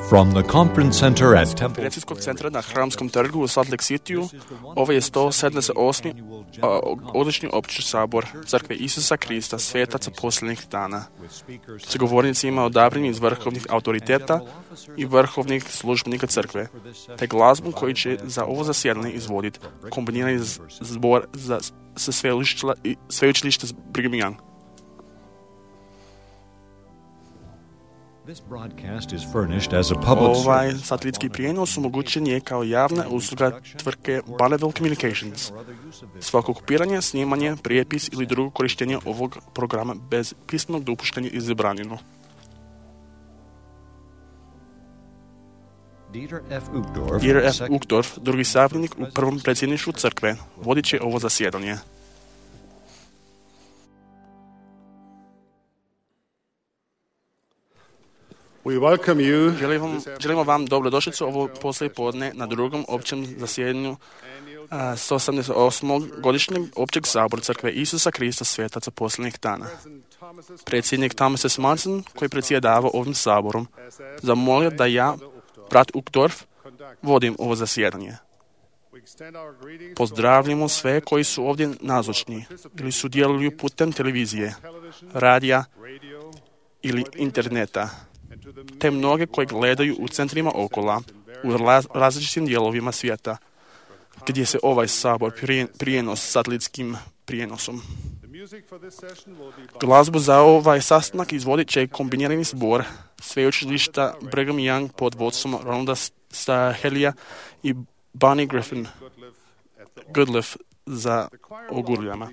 From the conference center at Temple Konferencijskog centra na Hramskom trgu u Salt Lake Cityu, ovo je 178. godišnji opći sabor Crkve Isusa Krista, svetaca posljednjih dana. S govornicima odabranih iz vrhovnih autoriteta i vrhovnih službenika crkve, te glazbom koji će za ovo zasjedanje izvoditi kombinirani zbor sa sveučilišta Brigham Young. Ovaj satelitski prijenos omogućen je kao javna usluga tvrtke Bonneville Communications. Svako kopiranje, snimanje, prijepis ili drugo korištenje ovog programa bez pismenog dopuštenja je zabranjeno. Dieter F. Uchtdorf, drugi savjetnik u prvom predsjedništvu crkve, vodit će ovo zasjedanje. Želimo vam dobrodošlicu ovo poslijepodne na drugom općem zasjedanju 188. godišnjeg općeg sabora Crkve Isusa Krista, svetaca posljednjih dana. Predsjednik Thomas S. Monson, koji predsjedava ovim saborom, zamolio da ja, brat Uchtdorf, vodim ovo zasjedanje. Pozdravljamo sve koji su ovdje nazočni ili sudjeluju putem televizije, radija ili interneta, te mnoge koji gledaju u centrima okola, u različitim dijelovima svijeta, gdje se ovaj sabor prijenos satelitskim prijenosom. Glazbu za ovaj sastanak izvodit će kombinirani zbor sveučilišta Brigham Young pod vodstvom Ronalda Stahelija i Bonnie Griffin Goodliff za ogurljama.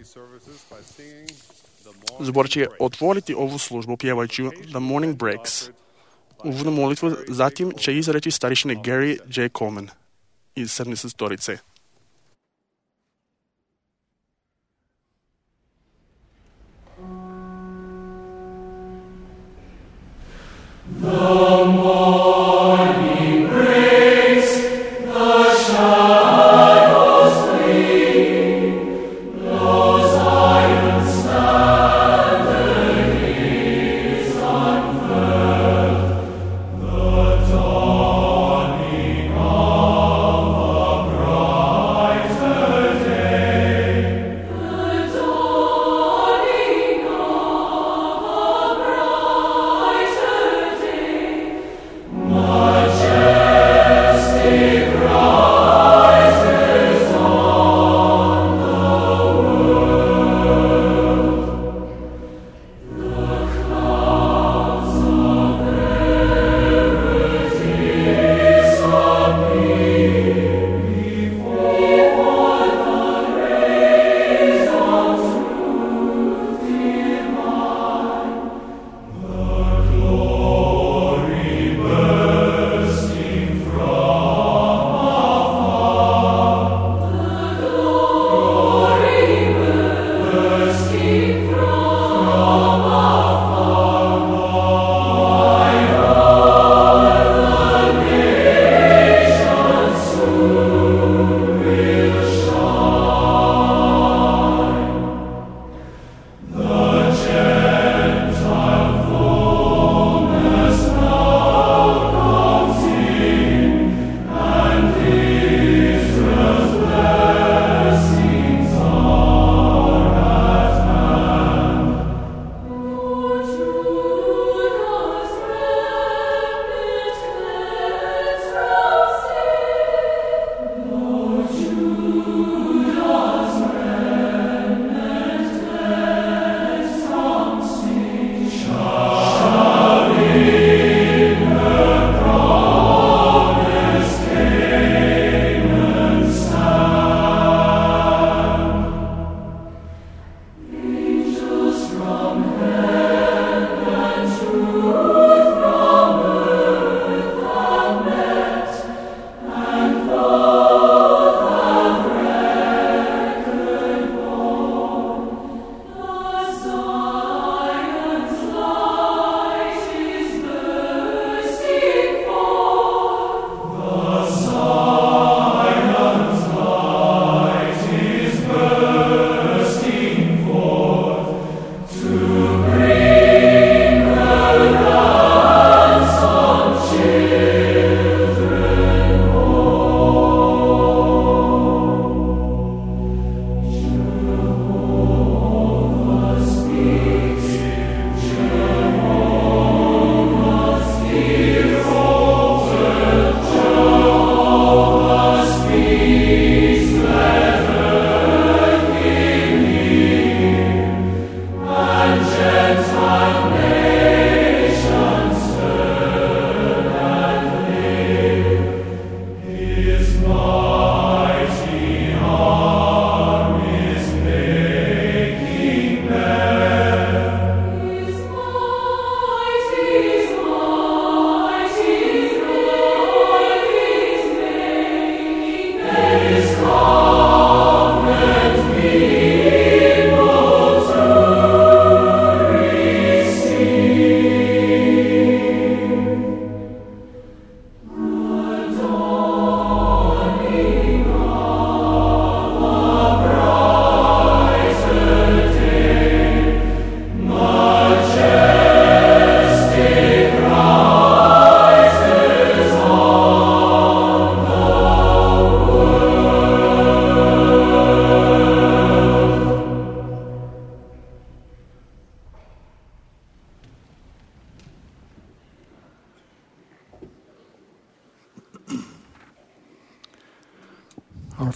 Zbor će otvoriti ovu službu pjevajući The Morning Breaks. Uvodnu molitvu zatim će izreći starješine Gary J. Coleman iz 70 Storice. The morning breaks, the shadows flee, those iron standard is unfurled, the dawning of the bright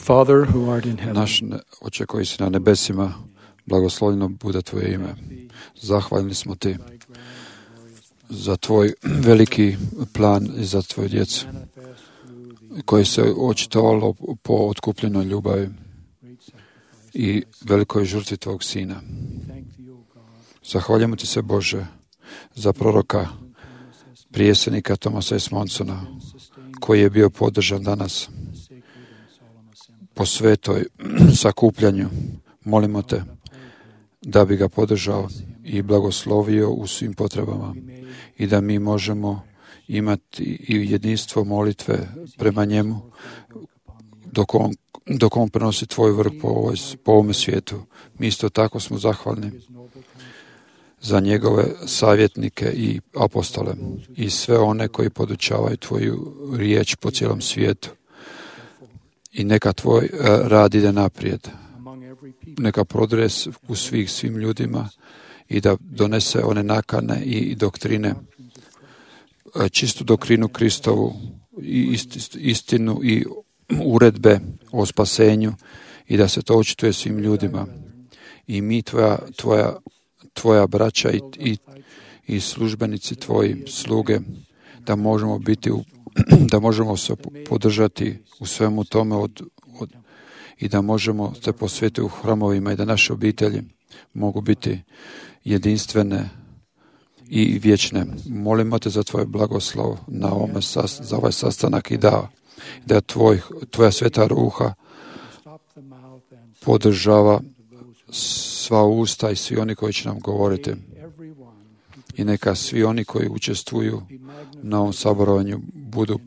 Father who art in heaven, Naš Oče koji si na nebesima, blagoslovljeno bude Tvoje ime. Zahvalni smo Ti za Tvoj veliki plan i za Tvoju djecu koji se očitovalo po otkupljenoj ljubavi i velikoj žrtvi Tvog Sina. Zahvaljujemo Ti se, Bože, za proroka, prijesednika Thomasa S. Monsona, koji je bio podržan danas po svetoj sakupljanju. Molimo Te da bi ga podržao i blagoslovio u svim potrebama i da mi možemo imati i jedinstvo molitve prema njemu dok on prenosi Tvoj vrh po ovome svijetu. Mi isto tako smo zahvalni za njegove savjetnike i apostole i sve one koji podučavaju Tvoju riječ po cijelom svijetu. I neka Tvoj rad ide naprijed. Neka prodre u svim ljudima i da donese one nakane i doktrine, čistu doktrinu Kristovu, i istinu i uredbe o spasenju i da se to očituje svim ljudima. I mi, Tvoja braća i službenici Tvoji, sluge, da možemo biti da možemo se podržati u svemu tome i da možemo se posvetiti u hramovima i da naše obitelji mogu biti jedinstvene i vječne. Molimo Te za Tvoj blagoslov za ovaj sastanak i da Tvoja sveta ruha podržava sva usta i svi oni koji će nam govoriti. I neka svi oni koji učestvuju na ovom saborovanju budu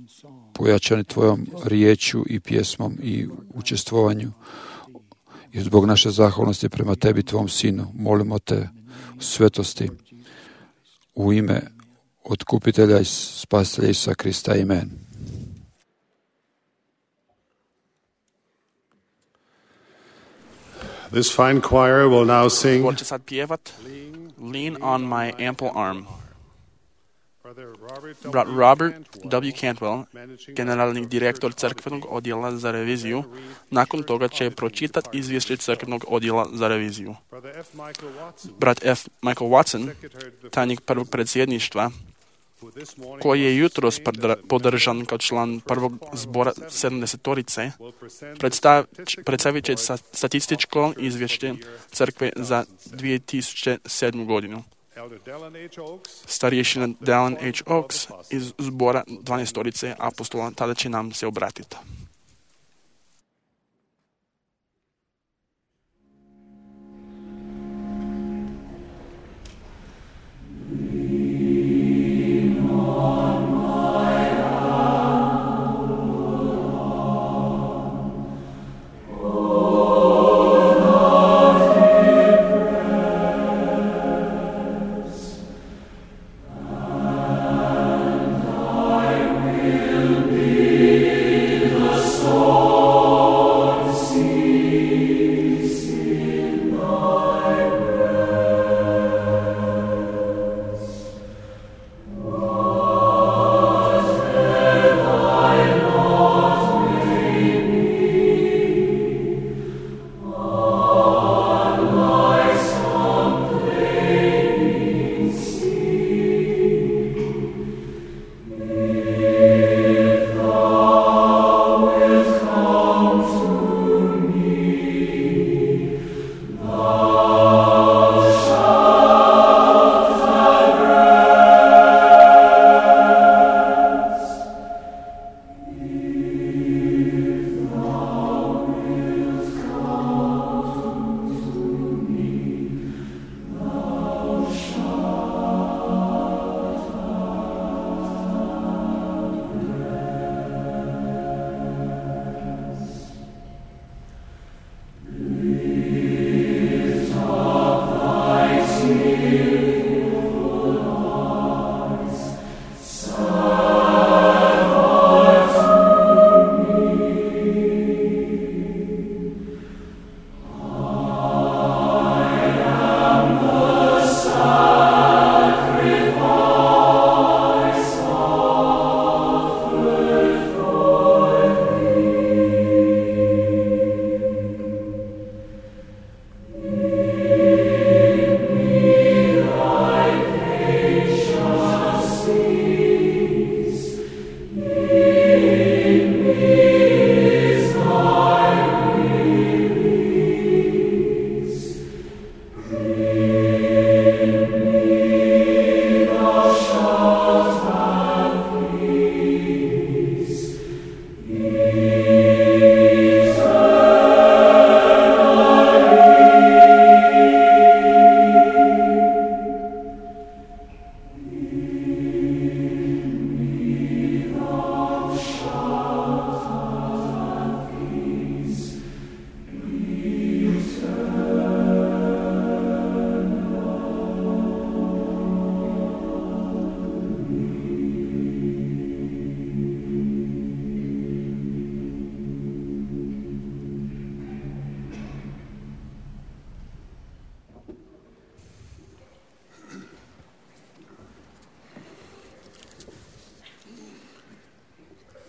pojačani Tvojom riječju i pjesmom i učestvovanju. I zbog naše zahvalnosti prema Tebi, Tvom Sinu, molimo Te u svetosti u ime Otkupitelja i Spasitelja Isusa Krista. Amen. This fine choir will now sing. Ko će sad pjevat Lean on my ample arm. Brat Robert W. Cantwell, generalni direktor crkvenog odjela za reviziju, nakon toga će pročitati izvješće crkvenog odjela za reviziju. Brat F. Michael Watson, tajnik prvog predsjedništva, koji je jutros podržan kao član prvog zbora 70-torice, predstavit će statističko izvješće crkve za 2007. godinu. Starješina Dallin H. Oaks iz zbora 12-torice apostola tada će nam se obratiti.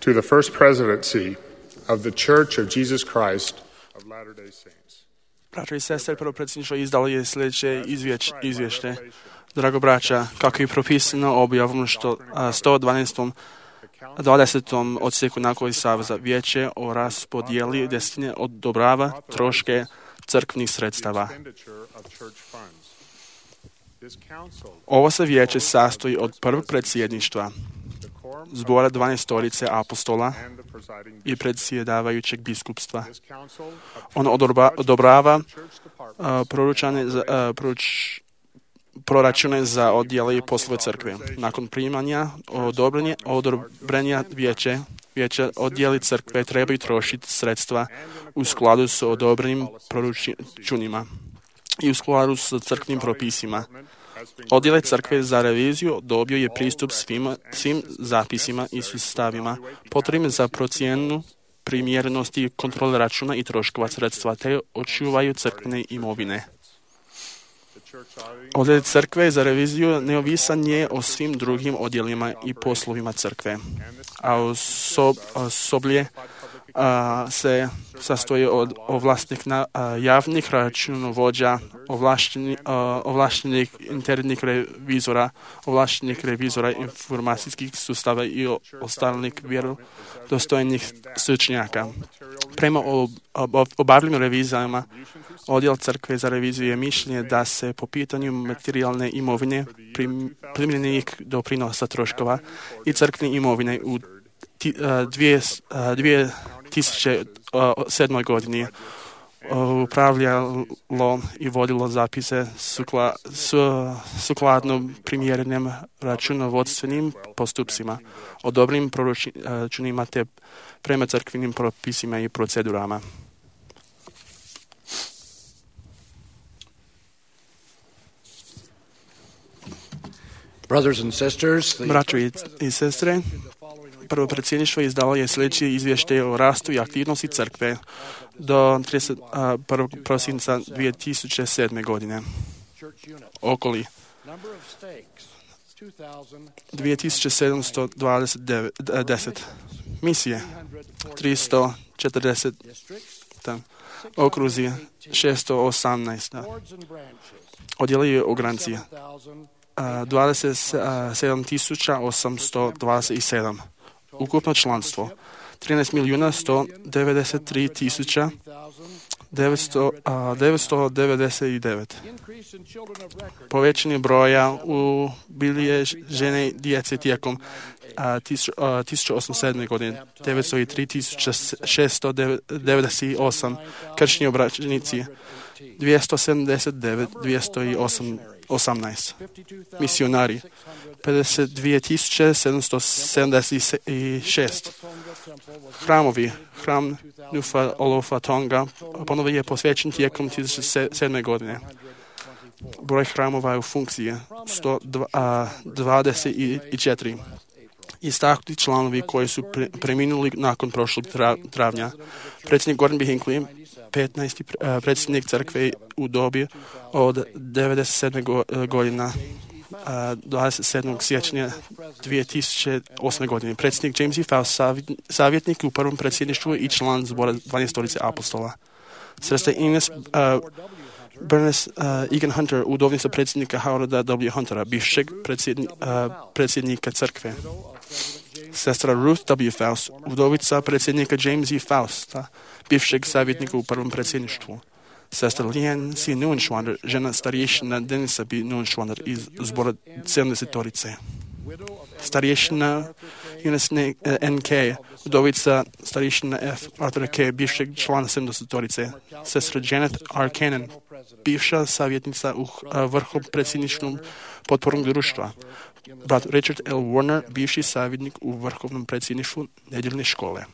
to the first presidency of the Church of Jesus Christ of Latter-day Saints. Braćo i sestre, prvo predsjedništvo izdalo je sljedeće izvješće. Drago braća, kako je propisano objavom 112. 20. odsjeku Nacionalnog saveza, vijeće o raspodijeli desetine odobrava troške crkvenih sredstava. Ovo se vijeće sastoji od prvog predsjedništva, zbora 12 apostola i predsjedavajućeg biskupstva. On odobrava proračune za odjele i poslove crkve. Nakon primanja odobrenja vijeća odjeli crkve trebaju trošiti sredstva u skladu s odobrenim proračunima i u skladu s crkvenim propisima. Odjel crkve za reviziju dobio je pristup svim zapisima i sustavima potrebnim za procjenu primjerenosti kontrole računa i troškova sredstva te očuvaju crkvene imovine. Odjel crkve za reviziju neovisan je o svim drugim odjelima i poslovima crkve, a osoblje se sastoji od javnih računovođa, ovlaštenih internih revizora, ovlaštenih revizora informacijskih sustava i ostalih vjerodostojnih stručnjaka. Prema obavljenim revizijama, odjel crkve za reviziju je mišljenje da se po pitanju materijalne imovine, primljenih doprinosa troškova i crkvene imovine u 2007. godini upravljalo i vodilo zapise sukladno primjerenim računovodstvenim postupcima, odobrenim proračunima te prema crkvenim propisima i procedurama. Braćo i sestre, prvo predsjedništvo izdalo je sljedeći izvještaj o rastu i aktivnosti crkve do 31. prosinca 2007. godine. Okoli 2710 misije, 340 okruzi, 618 odjeli i ogranci, 27.827. Ukupno članstvo 13.193.999. Povećanje broja ubilježene djece tijekom 1807. godine 903.698. Kršni obraćenici 279.218. Misionari 52.776. Hramovi. Hram Nufa Olofa Tonga ponovo je posvećen tijekom 2007. godine. Broj hramova je u funkciji 124. Istaknuti članovi koji su preminuli nakon prošlog travnja. Predsjednik Gordon B. Hinckley, 15. predsjednik crkve u dobi od 97. godina 27. siječnja 2008. godine. Predsjednik James E. Faust, savjetnik u prvom predsjedništvu i član zbora 12 apostola. Sestra Ines Bernice Egan Hunter, udovnica predsjednika Howarda W. Huntera, bivšeg predsjednika crkve. Sestra Ruth W. Faust, udovica predsjednika James E. Fausta, bivšeg savjetnika u prvom predsjedništvu. Sestra Leanne C. Neuenschwander, žena starješina Denisa B. Neuenschwander iz zbora 70-torice. Starješina Eunice N.K., udovica starješina F. Arthur K., bivšeg člana 70-torice. Sestra Janet R. Cannon, bivša savjetnica u vrhu predsjedničnom potpornog društva. Brat Richard L. Warner, bivši savjetnik u vrhovnom predsjedništvu nedjeljne škole.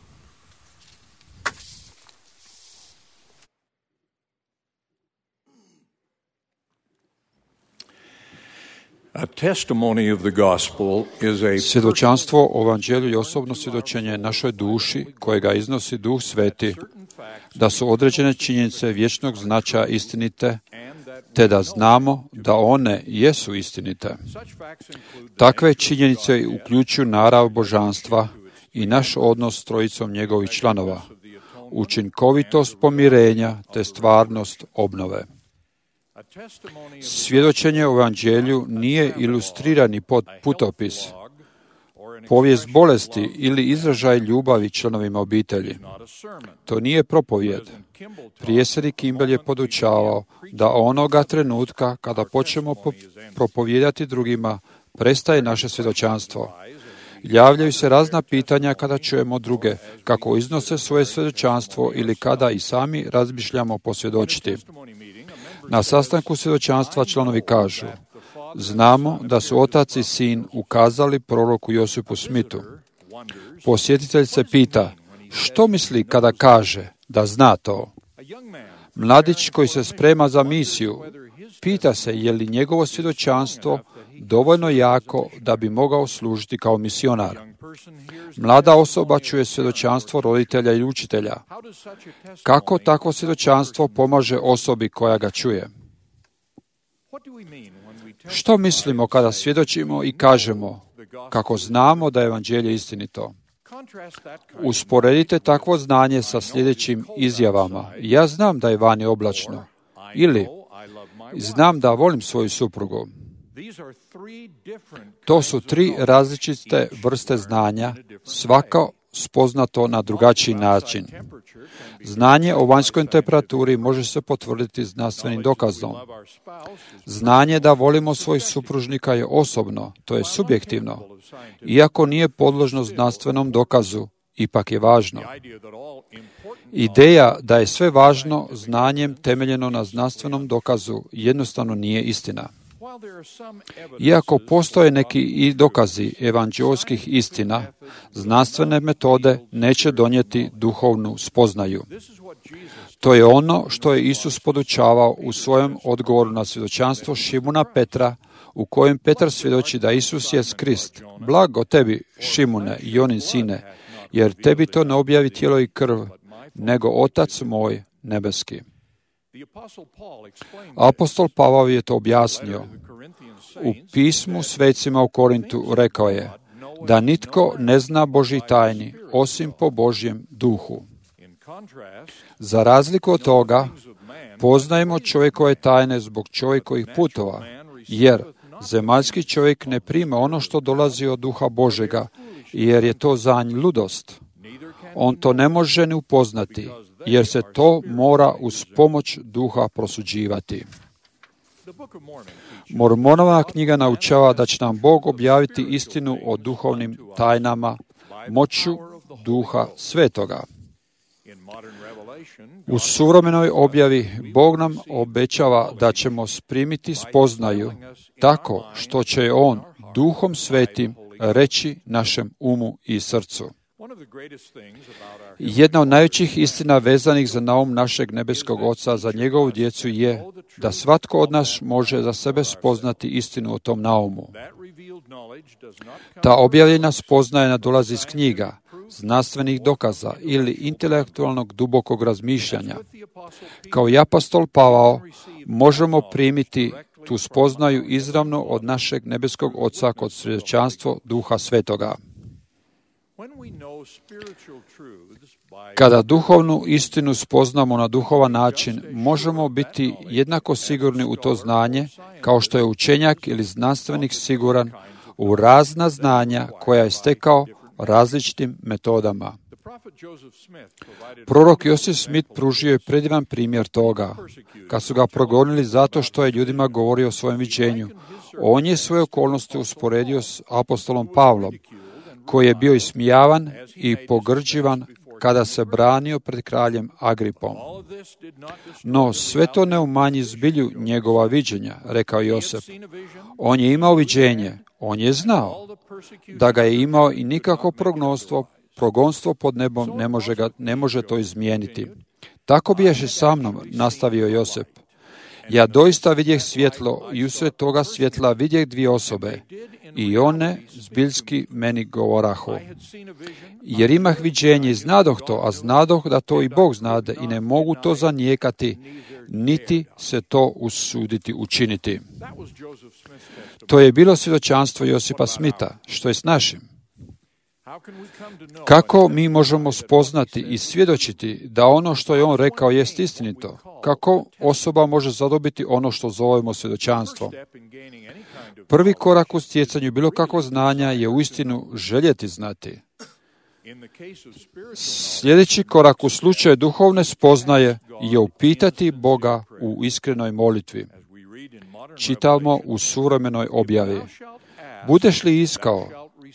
Svjedočanstvo o evanđelju i osobno svjedočenje našoj duši kojega iznosi Duh Sveti, da su određene činjenice vječnog značaja istinite, te da znamo da one jesu istinite. Takve činjenice uključuju narav božanstva i naš odnos s trojicom njegovih članova, učinkovitost pomirenja te stvarnost obnove. Svjedočenje o evanđelju nije ilustrirani putopis, povijest bolesti ili izražaj ljubavi članovima obitelji. To nije propovjed. Predsjednik Kimball je podučavao da onoga trenutka kada počnemo propovijedati drugima, prestaje naše svjedočanstvo. Javljaju se razna pitanja kada čujemo druge, kako iznose svoje svjedočanstvo ili kada i sami razmišljamo posvjedočiti. Na sastanku svjedočanstva članovi kažu: znamo da su otac i sin ukazali proroku Josipu Smithu. Posjetitelj se pita: što misli kada kaže da zna to? Mladić koji se sprema za misiju pita se je li njegovo svjedočanstvo dovoljno jako da bi mogao služiti kao misionar. Mlada osoba čuje svjedočanstvo roditelja i učitelja. Kako takvo svjedočanstvo pomaže osobi koja ga čuje? Što mislimo kada svjedočimo i kažemo kako znamo da je evanđelje istinito? Usporedite takvo znanje sa sljedećim izjavama: ja znam da je vani oblačno, ili znam da volim svoju suprugu. To su tri različite vrste znanja, svako spoznato na drugačiji način. Znanje o vanjskoj temperaturi može se potvrditi znanstvenim dokazom. Znanje da volimo svojih supružnika je osobno, to je subjektivno. Iako nije podložno znanstvenom dokazu, ipak je važno. Ideja da je sve važno znanjem temeljeno na znanstvenom dokazu jednostavno nije istina. Iako postoje neki i dokazi evanđeoskih istina, znanstvene metode neće donijeti duhovnu spoznaju. To je ono što je Isus podučavao u svojem odgovoru na svjedočanstvo Šimuna Petra, u kojem Petar svjedoči da Isus je Krist. Blago tebi, Šimune, Jonin sine, jer tebi to ne objavi tijelo i krv, nego Otac moj nebeski. Apostol Pavao je to objasnio. U pismu svecima u Korintu rekao je da nitko ne zna Božji tajni osim po Božjem duhu. Za razliku od toga, poznajemo čovjekove tajne zbog čovjekovih putova, jer zemaljski čovjek ne prima ono što dolazi od duha Božega, jer je to za nj ludost. On to ne može ni upoznati, jer se to mora uz pomoć duha prosuđivati. Mormonova knjiga naučava da će nam Bog objaviti istinu o duhovnim tajnama moću duha svetoga. U suvremenoj objavi Bog nam obećava da ćemo primiti spoznaju tako što će On duhom svetim reći našem umu i srcu. Jedna od najvećih istina vezanih za naum našeg nebeskog Oca za njegovu djecu je da svatko od nas može za sebe spoznati istinu o tom naumu. Ta objavljena spoznaja ne dolazi iz knjiga, znanstvenih dokaza ili intelektualnog dubokog razmišljanja. Kao i apostol Pavao možemo primiti tu spoznaju izravno od našeg nebeskog Oca kod svjedočanstva Duha Svetoga. Kada duhovnu istinu spoznamo na duhovan način, možemo biti jednako sigurni u to znanje, kao što je učenjak ili znanstvenik siguran u razna znanja koja je stekao različitim metodama. Prorok Josip Smith pružio je predivan primjer toga. Kad su ga progonili zato što je ljudima govorio o svojem viđenju, on je svoje okolnosti usporedio s apostolom Pavlom, koji je bio ismijavan i pogrđivan kada se branio pred kraljem Agripom. No, sve to ne umanji zbilju njegova viđenja, rekao Josip. On je imao viđenje, on je znao da ga je imao i nikako progonstvo pod nebom ne može to izmijeniti. Tako biješe sa mnom, nastavio Josip. Ja doista vidjeh svjetlo i usred toga svjetla vidjeh dvije osobe i one zbiljski meni govorahu. Jer imah viđenje i znadoh to, a znadoh da to i Bog znade i ne mogu to zanijekati, niti se to usuditi učiniti. To je bilo svjedočanstvo Josipa Smitha, što je s našim. Kako mi možemo spoznati i svjedočiti da ono što je on rekao jest istinito? Kako osoba može zadobiti ono što zovemo svjedočanstvom? Prvi korak u stjecanju bilo kakvog znanja je uistinu željeti znati. Sljedeći korak u slučaju duhovne spoznaje je upitati Boga u iskrenoj molitvi. Čitamo u suvremenoj objavi. Budeš li iskao,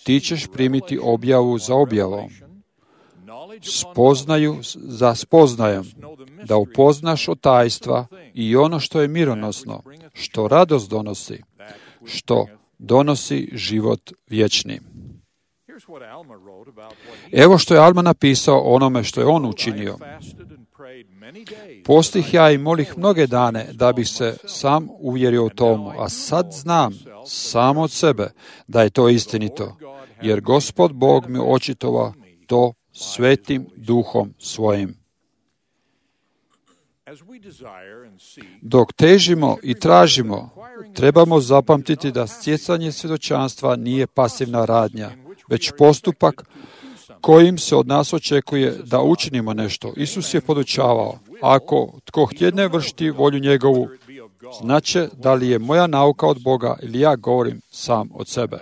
ti ćeš primiti objavu za objavom, spoznaju za spoznajem, da upoznaš od tajstva i ono što je mironosno, što radost donosi, što donosi život vječni. Evo što je Alma napisao o onome što je on učinio. Postih ja i molih mnoge dane da bih se sam uvjerio u tomu, a sad znam sam od sebe da je to istinito, jer Gospod Bog mi očitova to svetim duhom svojim. Dok težimo i tražimo, trebamo zapamtiti da stjecanje svjedočanstva nije pasivna radnja, već postupak kojim se od nas očekuje da učinimo nešto. Isus je podučavao, ako tko htjedne vršiti volju njegovu, znače da li je moja nauka od Boga ili ja govorim sam od sebe.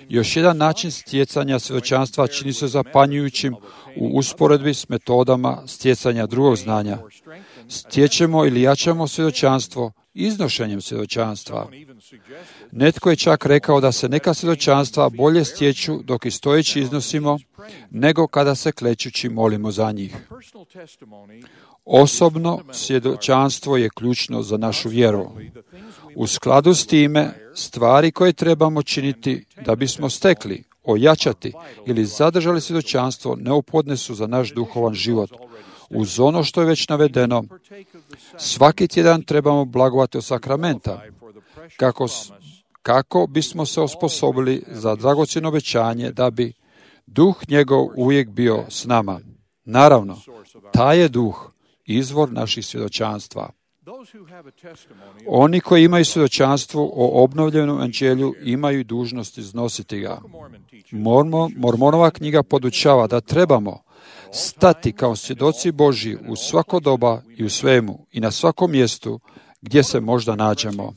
Još jedan način stjecanja svjedočanstva čini se zapanjujućim u usporedbi s metodama stjecanja drugog znanja. Stječemo ili jačamo svjedočanstvo iznošenjem svjedočanstva. Netko je čak rekao da se neka svjedočanstva bolje stječu dok i stojeći iznosimo, nego kada se klečući molimo za njih. Osobno svjedočanstvo je ključno za našu vjeru. U skladu s time, stvari koje trebamo činiti da bismo stekli, ojačati ili zadržali svjedočanstvo neophodne su za naš duhovan život. Uz ono što je već navedeno, svaki tjedan trebamo blagovati od sakramenta, kako bismo se osposobili za dragocjeno obećanje da bi duh njegov uvijek bio s nama. Naravno, taj je duh izvor naših svjedočanstva. Oni koji imaju svjedočanstvo o obnovljenom evanđelju imaju dužnost iznositi ga. Mormonova knjiga podučava da trebamo stati kao svjedoci Božji u svako doba i u svemu i na svakom mjestu gdje se možda nađemo.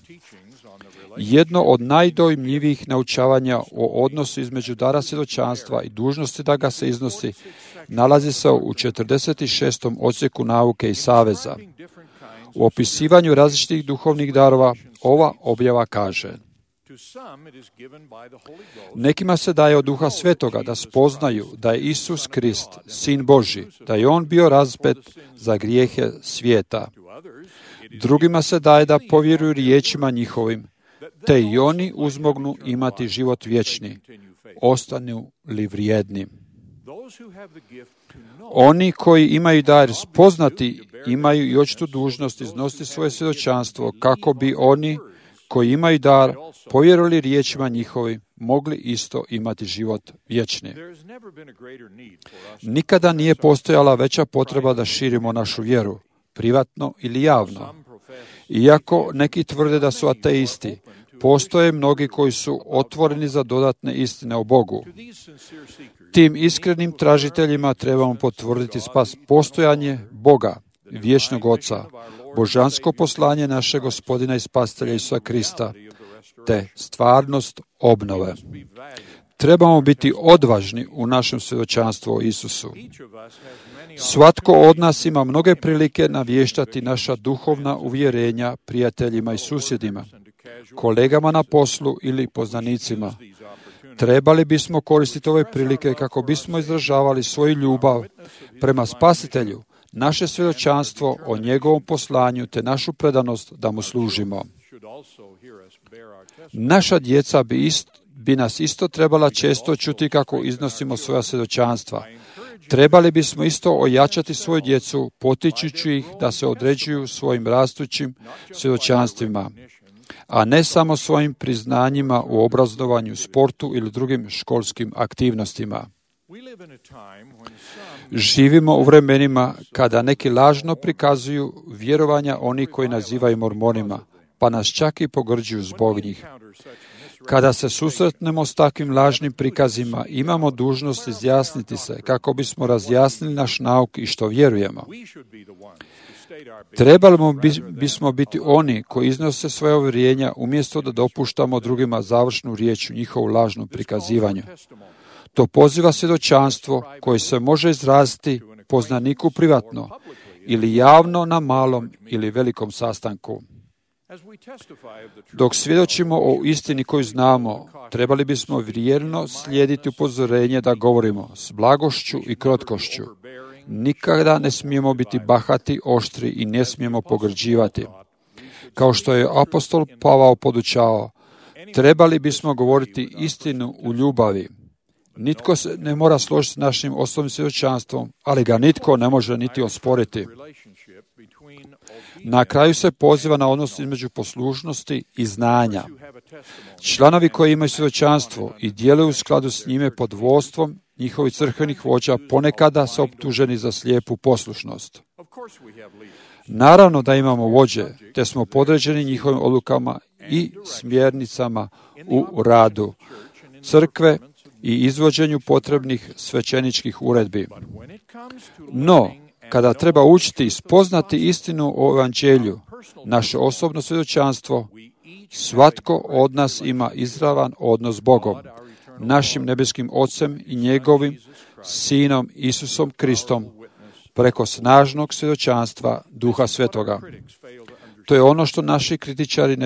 Jedno od najdojmljivijih naučavanja o odnosu između dara svjedočanstva i dužnosti da ga se iznosi nalazi se u 46. odsjeku nauke i saveza. U opisivanju različitih duhovnih darova ova objava kaže: nekima se daje od Duha Svetoga da spoznaju da je Isus Krist, Sin Božji, da je On bio raspet za grijehe svijeta. Drugima se daje da povjeruju riječima njihovim, te i oni uzmognu imati život vječni, ostanu li vrijedni. Oni koji imaju dar spoznati imaju i očitu dužnost iznositi svoje svjedočanstvo kako bi oni koji imaju dar povjerovali riječima njihovim mogli isto imati život vječni. Nikada nije postojala veća potreba da širimo našu vjeru, privatno ili javno. Iako neki tvrde da su ateisti, postoje mnogi koji su otvoreni za dodatne istine o Bogu. Tim iskrenim tražiteljima trebamo potvrditi postojanje Boga, vječnog Oca, božansko poslanje našeg Gospodina i Spasitelja Isusa Krista, te stvarnost obnove. Trebamo biti odvažni u našem svjedočanstvu o Isusu. Svatko od nas ima mnoge prilike navještati naša duhovna uvjerenja prijateljima i susjedima, kolegama na poslu ili poznanicima. Trebali bismo koristiti ove prilike kako bismo izražavali svoju ljubav prema Spasitelju, naše svjedočanstvo o njegovom poslanju te našu predanost da mu služimo. Naša djeca bi nas isto trebala često čuti kako iznosimo svoja svjedočanstva. Trebali bismo isto ojačati svoju djecu, potičući ih da se određuju svojim rastućim svjedočanstvima, a ne samo svojim priznanjima u obrazovanju, sportu ili drugim školskim aktivnostima. Živimo u vremenima kada neki lažno prikazuju vjerovanja oni koji nazivaju mormonima, pa nas čak i pogrđuju zbog njih. Kada se susretnemo s takvim lažnim prikazima, imamo dužnost izjasniti se kako bismo razjasnili naš nauk i što vjerujemo. Trebali bismo biti oni koji iznose svoje uvjerenja umjesto da dopuštamo drugima završnu riječ u njihovu lažnom prikazivanju. To poziva svjedočanstvo koje se može izraziti poznaniku privatno ili javno na malom ili velikom sastanku. Dok svjedočimo o istini koju znamo, trebali bismo vjerno slijediti upozorenje da govorimo s blagošću i krotkošću. Nikada ne smijemo biti bahati, oštri i ne smijemo pogrđivati. Kao što je apostol Pavao podučavao, trebali bismo govoriti istinu u ljubavi. Nitko se ne mora složiti s našim osnovnim svjedočanstvom, ali ga nitko ne može niti osporiti. Na kraju se poziva na odnos između poslušnosti i znanja. Članovi koji imaju svjedočanstvo i djeluju u skladu s njime pod vodstvom njihovih crkvenih vođa ponekada su optuženi za slijepu poslušnost. Naravno da imamo vođe, te smo podređeni njihovim odlukama i smjernicama u radu crkve i izvođenju potrebnih svećeničkih uredbi. No, kada treba učiti i spoznati istinu o evanđelju, naše osobno svjedočanstvo, svatko od nas ima izravan odnos s Bogom, našim nebeskim Ocem i njegovim Sinom Isusom Kristom, preko snažnog svjedočanstva Duha Svetoga. To je ono što naši kritičari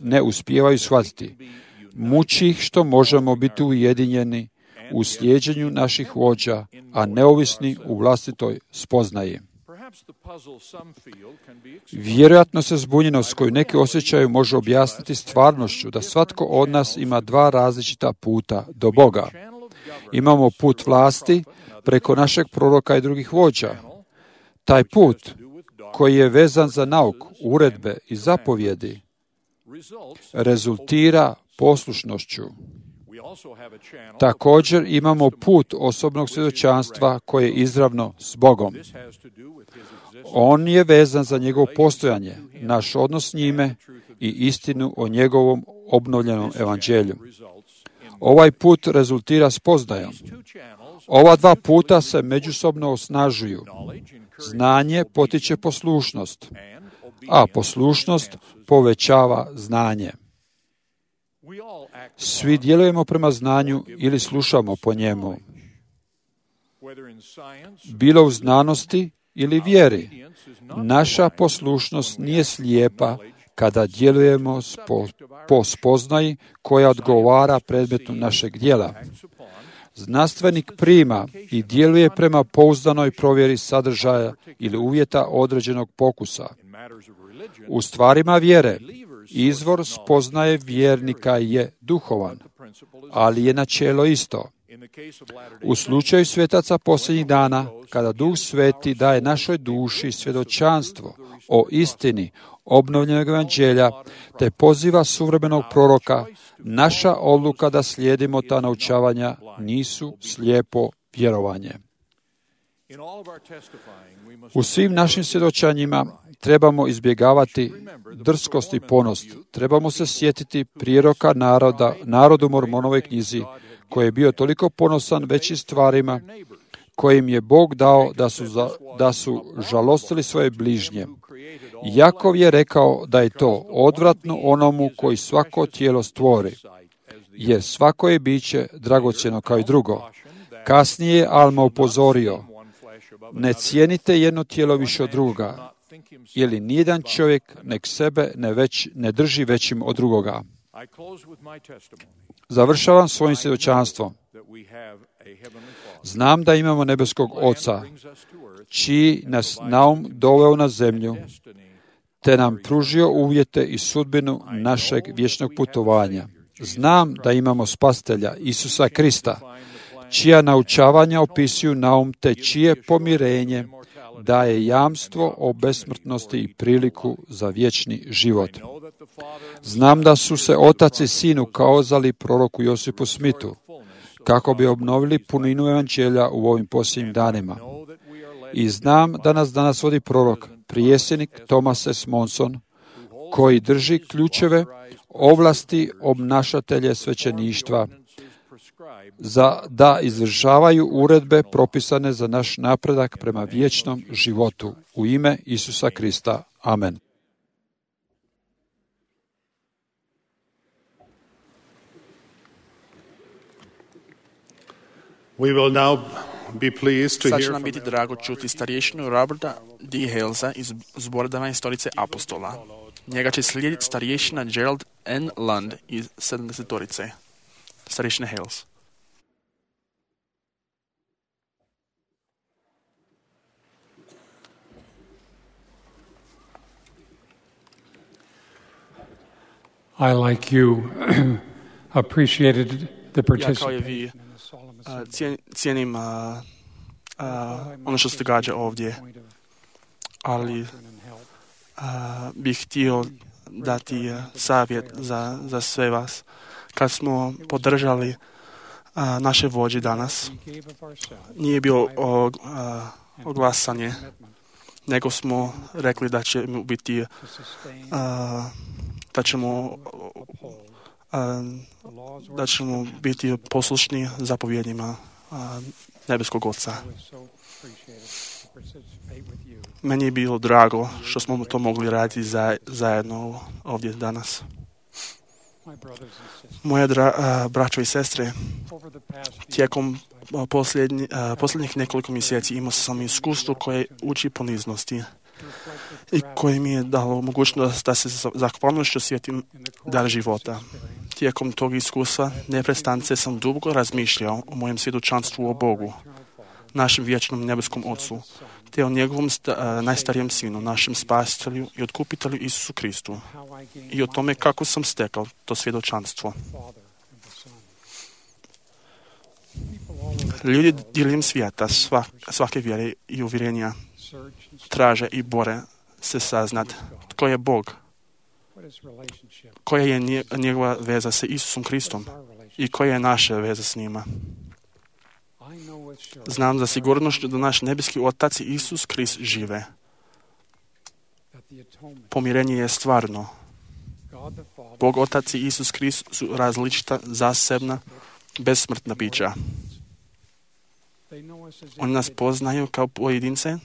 ne uspijevaju shvatiti. Muči ih što možemo biti ujedinjeni u slijeđenju naših vođa, a neovisni u vlastitoj spoznaji. Vjerojatno se zbunjenost koju neki osjećaju može objasniti stvarnošću da svatko od nas ima dva različita puta do Boga. Imamo put vlasti preko našeg proroka i drugih vođa. Taj put koji je vezan za nauk, uredbe i zapovjedi rezultira poslušnošću. Također imamo put osobnog svjedočanstva koje je izravno s Bogom. On je vezan za njegovo postojanje, naš odnos s njime i istinu o njegovom obnovljenom evanđelju. Ovaj put rezultira spoznajom. Ova dva puta se međusobno osnažuju. Znanje potiče poslušnost, a poslušnost povećava znanje. Svi djelujemo prema znanju ili slušamo po njemu. Bilo u znanosti ili vjeri, naša poslušnost nije slijepa kada djelujemo po spoznaji koja odgovara predmetu našeg djela. Znanstvenik prima i djeluje prema pouzdanoj provjeri sadržaja ili uvjeta određenog pokusa. U stvarima vjere, izvor spoznaje vjernika je duhovan, ali je načelo isto. U slučaju svetaca posljednjih dana, kada Duh Sveti daje našoj duši svjedočanstvo o istini obnovljenog evanđelja, te poziva suvremenog proroka, naša odluka da slijedimo ta naučavanja nisu slijepo vjerovanje. U svim našim svjedočanjima trebamo izbjegavati drskost i ponost. Trebamo se sjetiti prijeroka narodu Mormonovoj knjizi, koji je bio toliko ponosan većim stvarima kojim je Bog dao da su žalostili svoje bližnje. Jakov je rekao da je to odvratno onomu koji svako tijelo stvori, jer svako je biće dragocjeno kao i drugo. Kasnije je Alma upozorio, ne cijenite jedno tijelo više od druga, ili nijedan čovjek nek sebe ne drži većim od drugoga. Završavam svojim svjedočanstvom. Znam da imamo nebeskog Oca, čiji nas naum doveo na zemlju, te nam pružio uvjete i sudbinu našeg vječnog putovanja. Znam da imamo Spasitelja, Isusa Krista, čija naučavanja opisuju naum, te čije pomirenje daje jamstvo o besmrtnosti i priliku za vječni život. Znam da su se Otac i Sin ukazali proroku Josipu Smithu, kako bi obnovili puninu evanđelja u ovim posljednjim danima. I znam da nas danas vodi prorok, prijesjednik Thomas S. Monson, koji drži ključeve, ovlasti obnašatelje svećeništva, da izvršavaju uredbe propisane za naš napredak prema vječnom životu. U ime Isusa Krista. Amen. We will now be pleased to Sad će hear nam from biti drago čuti starješinu Roberta D. Halesa iz zbordava i stolice apostola. Njega će slijediti starješina Gerald N. Lund iz 70-torice. Starješina Hales. I, like you, appreciated the Ja kao i vi cijenim ono što se događa ovdje, ali bih htio dati savjet za sve vas. Kad smo podržali naše vođe danas, nije bilo oglasanje, nego smo rekli da ćemo biti da ćemo biti poslušni zapovjednjima nebeskog Oca. Meni je bilo drago što smo to mogli raditi zajedno ovdje danas. Moje braćo i sestre, tijekom posljednjih nekoliko mjeseci imao sam iskustvo koje uči poniznosti i koje mi je dalo mogućnost da se zahvalnošću sjetim dar života. Tijekom tog iskustva neprestance sam dugo razmišljao o mojem svjedočanstvu o Bogu, našem vječnom nebeskom Ocu, te o njegovom najstarijem sinu, našem spasitelju i otkupitelju Isusu Kristu, i o tome kako sam stekao to svjedočanstvo. Ljudi diljem svijeta, svake vjere i uvjerenja traže i bore se saznat tko je Bog, koja je njegova veza sa Isusom Kristom i koja je naša veza s njima. Znam za sigurnošću da naš nebeski Otac i Isus Krist žive. Pomirenje je stvarno. Bog Otac i Isus Krist su različita, zasebna, besmrtna bića. Oni nas poznaju kao pojedince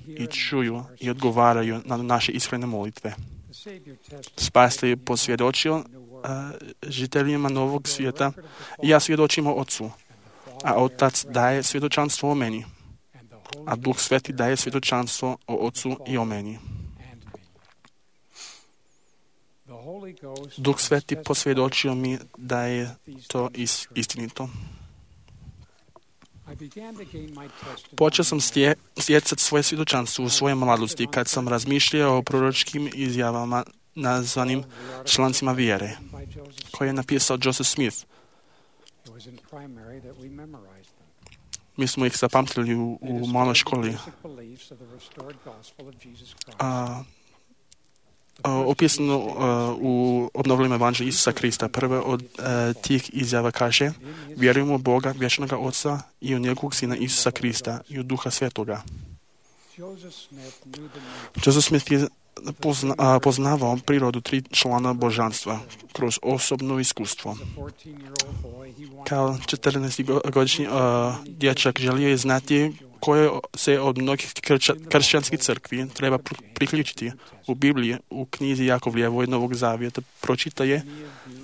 i čuju i odgovaraju na naše iskrene molitve. Spasitelj je posvjedočio žiteljima novog svijeta i ja svjedočim o Otcu, a Otac daje svjedočanstvo o meni, a Duh Sveti daje svjedočanstvo o Otcu i o meni. Duh Sveti posvjedočio mi da je to istinito. Počeo sam stjecati svoje svjedočanstvo u svojoj mladosti kad sam razmišljao o proročkim izjavama nazvanim člancima vjere, koje je napisao Joseph Smith. Mi smo ih zapamtili u maloj školi. Opisano u obnovljenom evanđelju Isusa Krista. Prva od tih izjava kaže: vjerujemo u Boga, vječnog Oca, i u njegovog Sina Isusa Krista i u Duha Svetoga. Joseph Smith je poznavao prirodu tri člana božanstva kroz osobno iskustvo. Kao 14-godišnji dječak želio je znati koje se od mnogih kršćanskih crkvi treba priključiti. U Bibliji, u knjizi Jakovljevoj Novog Zavjeta, pročita je: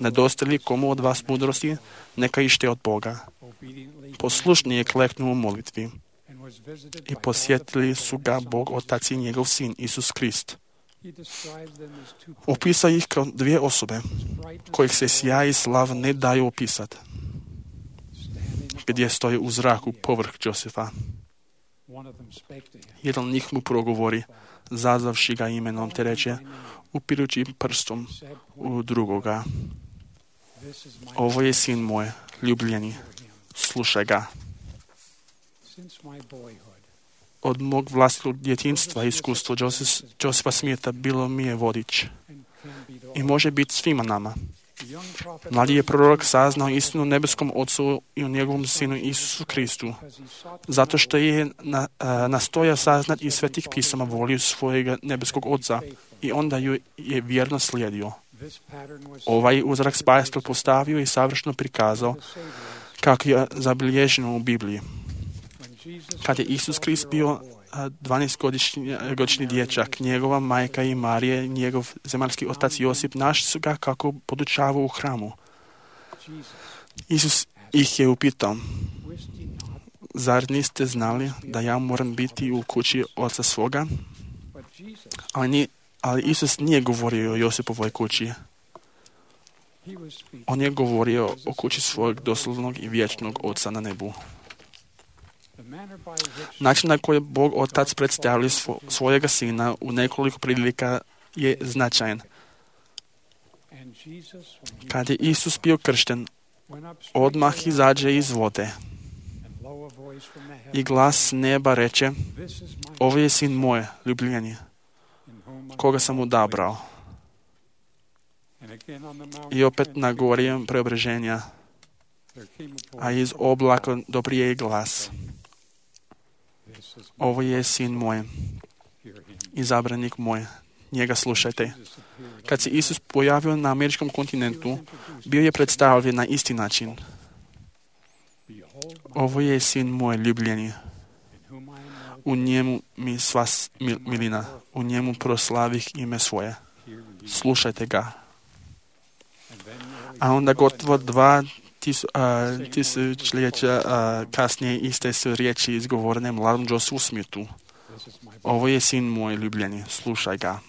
nedostaje li komu od vas mudrosti, neka ište od Boga. Poslušni je kleknuo u molitvi i posjetili su ga Bog Otac i njegov Sin Isus Krist. Opisao ih kao dvije osobe kojih se sjaj i slav ne daju opisati, gdje stoje u zraku povrh Josefa. Jedan njih mu progovori, zazvavši ga imenom, te reče, upirući prstom u drugoga: ovo je sin moj, ljubljeni, slušaj ga. Od mog vlastitog djetinjstva iskustvo Josefa Smitha bilo mi je vodič i može biti svima nama. Mladi je prorok saznao istinu o nebeskom Ocu i o njegovom Sinu Isusu Kristu, zato što je nastojao saznati iz svetih pisama volju svojega nebeskog Oca i onda ju je vjerno slijedio. Ovaj uzrak spasitelj postavio i savršeno prikazao kako je zabilježeno u Bibliji. Kad je Isus Krist bio 12-godišnji dječak, njegova majka i Marije, njegov zemaljski otac Josip, našli su ga kako podučavao u hramu. Isus ih je upitao: zar niste znali da ja moram biti u kući oca svoga? Ali Isus nije govorio o Josipovoj kući. On je govorio o kući svojeg doslovnog i vječnog Oca na nebu. Način na koji Bog Otac predstavlja svojega Sina u nekoliko prilika je značajan. Kad je Isus bio kršten, odmah izađe iz vode i glas s neba reče: ovo je Sin moj, ljubljeni, koga sam odabrao. I opet na gori preobraženja, a iz oblaka doprije glas: ovo je Sin moj, izabranik moj, njega slušajte. Kad se Isus pojavio na američkom kontinentu, bio je predstavljen na isti način. Ovo je Sin moj ljubljeni, u njemu mi sva milina, u njemu proslavih ime svoje. Slušajte ga. A onda gotovo 2000 tisućljeća kasnije iste su riječi izgovorene mladom Josephu Smithu. Ovo je Sin moj ljubljeni, slušaj ga.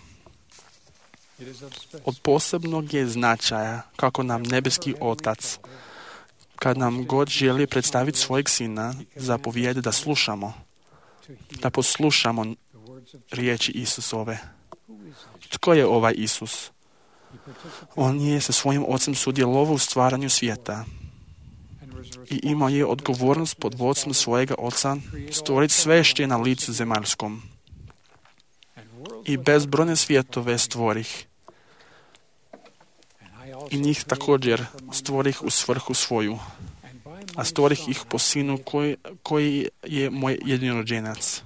Od posebnog je značaja kako nam nebeski Otac, kad nam god želi predstaviti svojeg Sina, zapovijede da slušamo, da poslušamo riječi Isusove. Tko je ovaj Isus? On je sa svojim Ocem sudjelovao u stvaranju svijeta i imao je odgovornost pod vodstvom svojega Oca stvoriti sve što je na licu zemaljskom. I bezbrojne svjetove stvorih. I njih također stvorih u svrhu svoju. A stvorih ih po Sinu koji je moj jedinorođenac.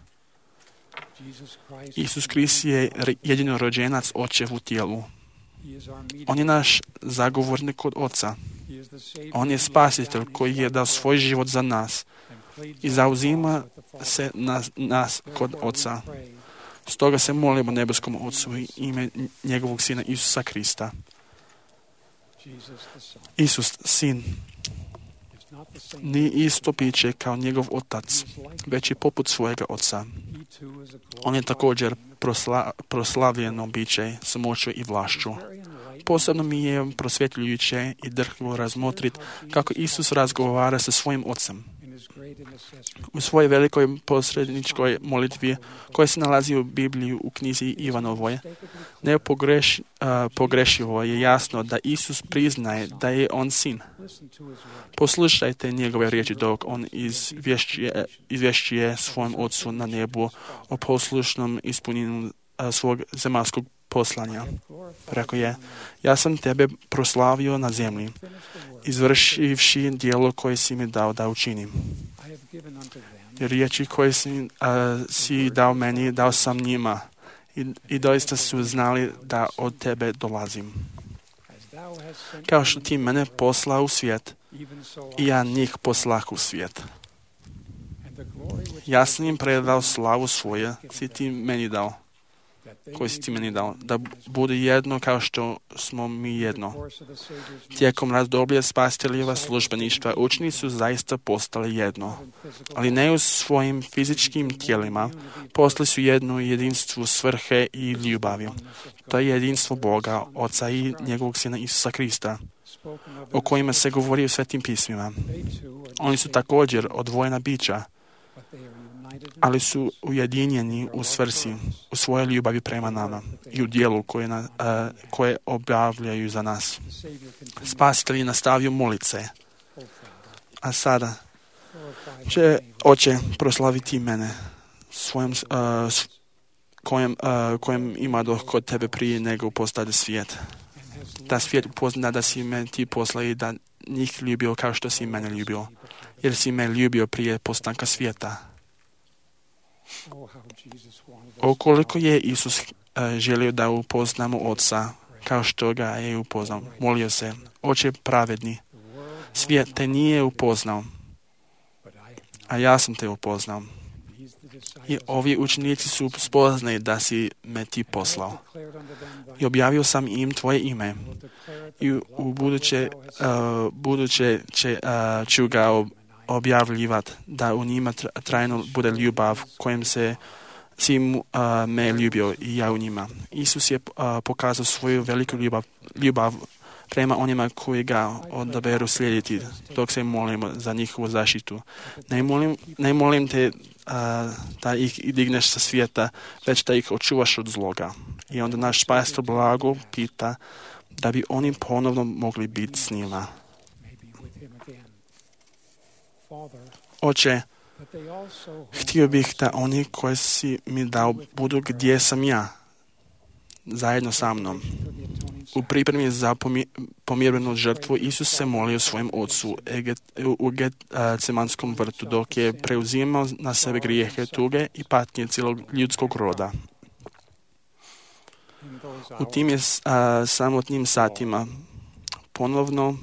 Isus Krist je jedinorođenac Očev u tijelu. On je naš zagovornik kod Oca. On je spasitelj koji je dao svoj život za nas i zauzima se nas kod Oca. Stoga se molimo nebeskom Ocu i ime njegovog Sina Isusa Krista. Isus, Sin, nije isto biće kao njegov Otac, već i poput svojega Oca. On je također proslavljeno biće s moću i vlašću. Posebno mi je prosvjetljujuće i drhko razmotriti kako Isus razgovara sa svojim Ocem. U svojoj velikoj posredničkoj molitvi, koja se nalazi u Bibliji u knjizi Ivanovoj, nepogrešivo je jasno da Isus priznaje da je on Sin. Poslušajte njegove riječi dok on izvješćuje svojom Ocu na nebu o poslušnom ispunjenju svog zemaljskog poslanja. Rekao je: ja sam tebe proslavio na zemlji, izvršivši djelo koje si mi dao da učinim. Riječi koje si dao meni, dao sam njima i doista su znali da od tebe dolazim. Kao što ti mene poslao u svijet, i ja njih poslah u svijet. Ja sam im predao slavu svoje, si ti meni dao, koji si ti meni dao, da bude jedno kao što smo mi jedno. Tijekom razdoblja spasiteljeva službeništva učenici su zaista postali jedno, ali ne u svojim fizičkim tijelima. Postali su jedno jedinstvo svrhe i ljubavi. To je jedinstvo Boga, Oca i njegovog Sina Isusa Krista, o kojima se govori u Svetim pismima. Oni su također odvojena bića, ali su ujedinjeni u svrsi, u svojoj ljubavi prema nama i u dijelu koje obavljaju za nas. Spasitelj je nastavio molice. A sada će Oče proslaviti mene svojom kojem ima kod tebe prije nego postade svijet. da svijet upozna da si me ti poslao i da njih ljubio kao što si mene ljubio, jer si me ljubio prije postanka svijeta. Koliko je Isus želio da upoznamo Oca, kao što ga je upoznao. Molio se, Oče pravedni, svijet te nije upoznao, a ja sam te upoznao. I ovi učenici su spoznali da si me ti poslao. I objavio sam im tvoje ime. I u buduće ću ga objavljivati, da u njima trajno bude ljubav kojim se si me ljubio i ja u njima. Isus je pokazao svoju veliku ljubav prema onima koji ga odaberu slijediti, dok se molimo za njihovu zaštitu. Ne molim te da ih digneš sa svijeta, već da ih očuvaš od zloga. I onda naš Spasitelj blago pita da bi oni ponovno mogli biti s njima. Oče, htio bih da oni koji si mi dao budu gdje sam ja, zajedno sa mnom. U pripremi za pomirenu žrtvu Isus se molio svojim Otcu u Getsemanskom vrtu, dok je preuzimao na sebe grijehe, tuge i patnje cijelog ljudskog roda. U tim je samotnim satima ponovno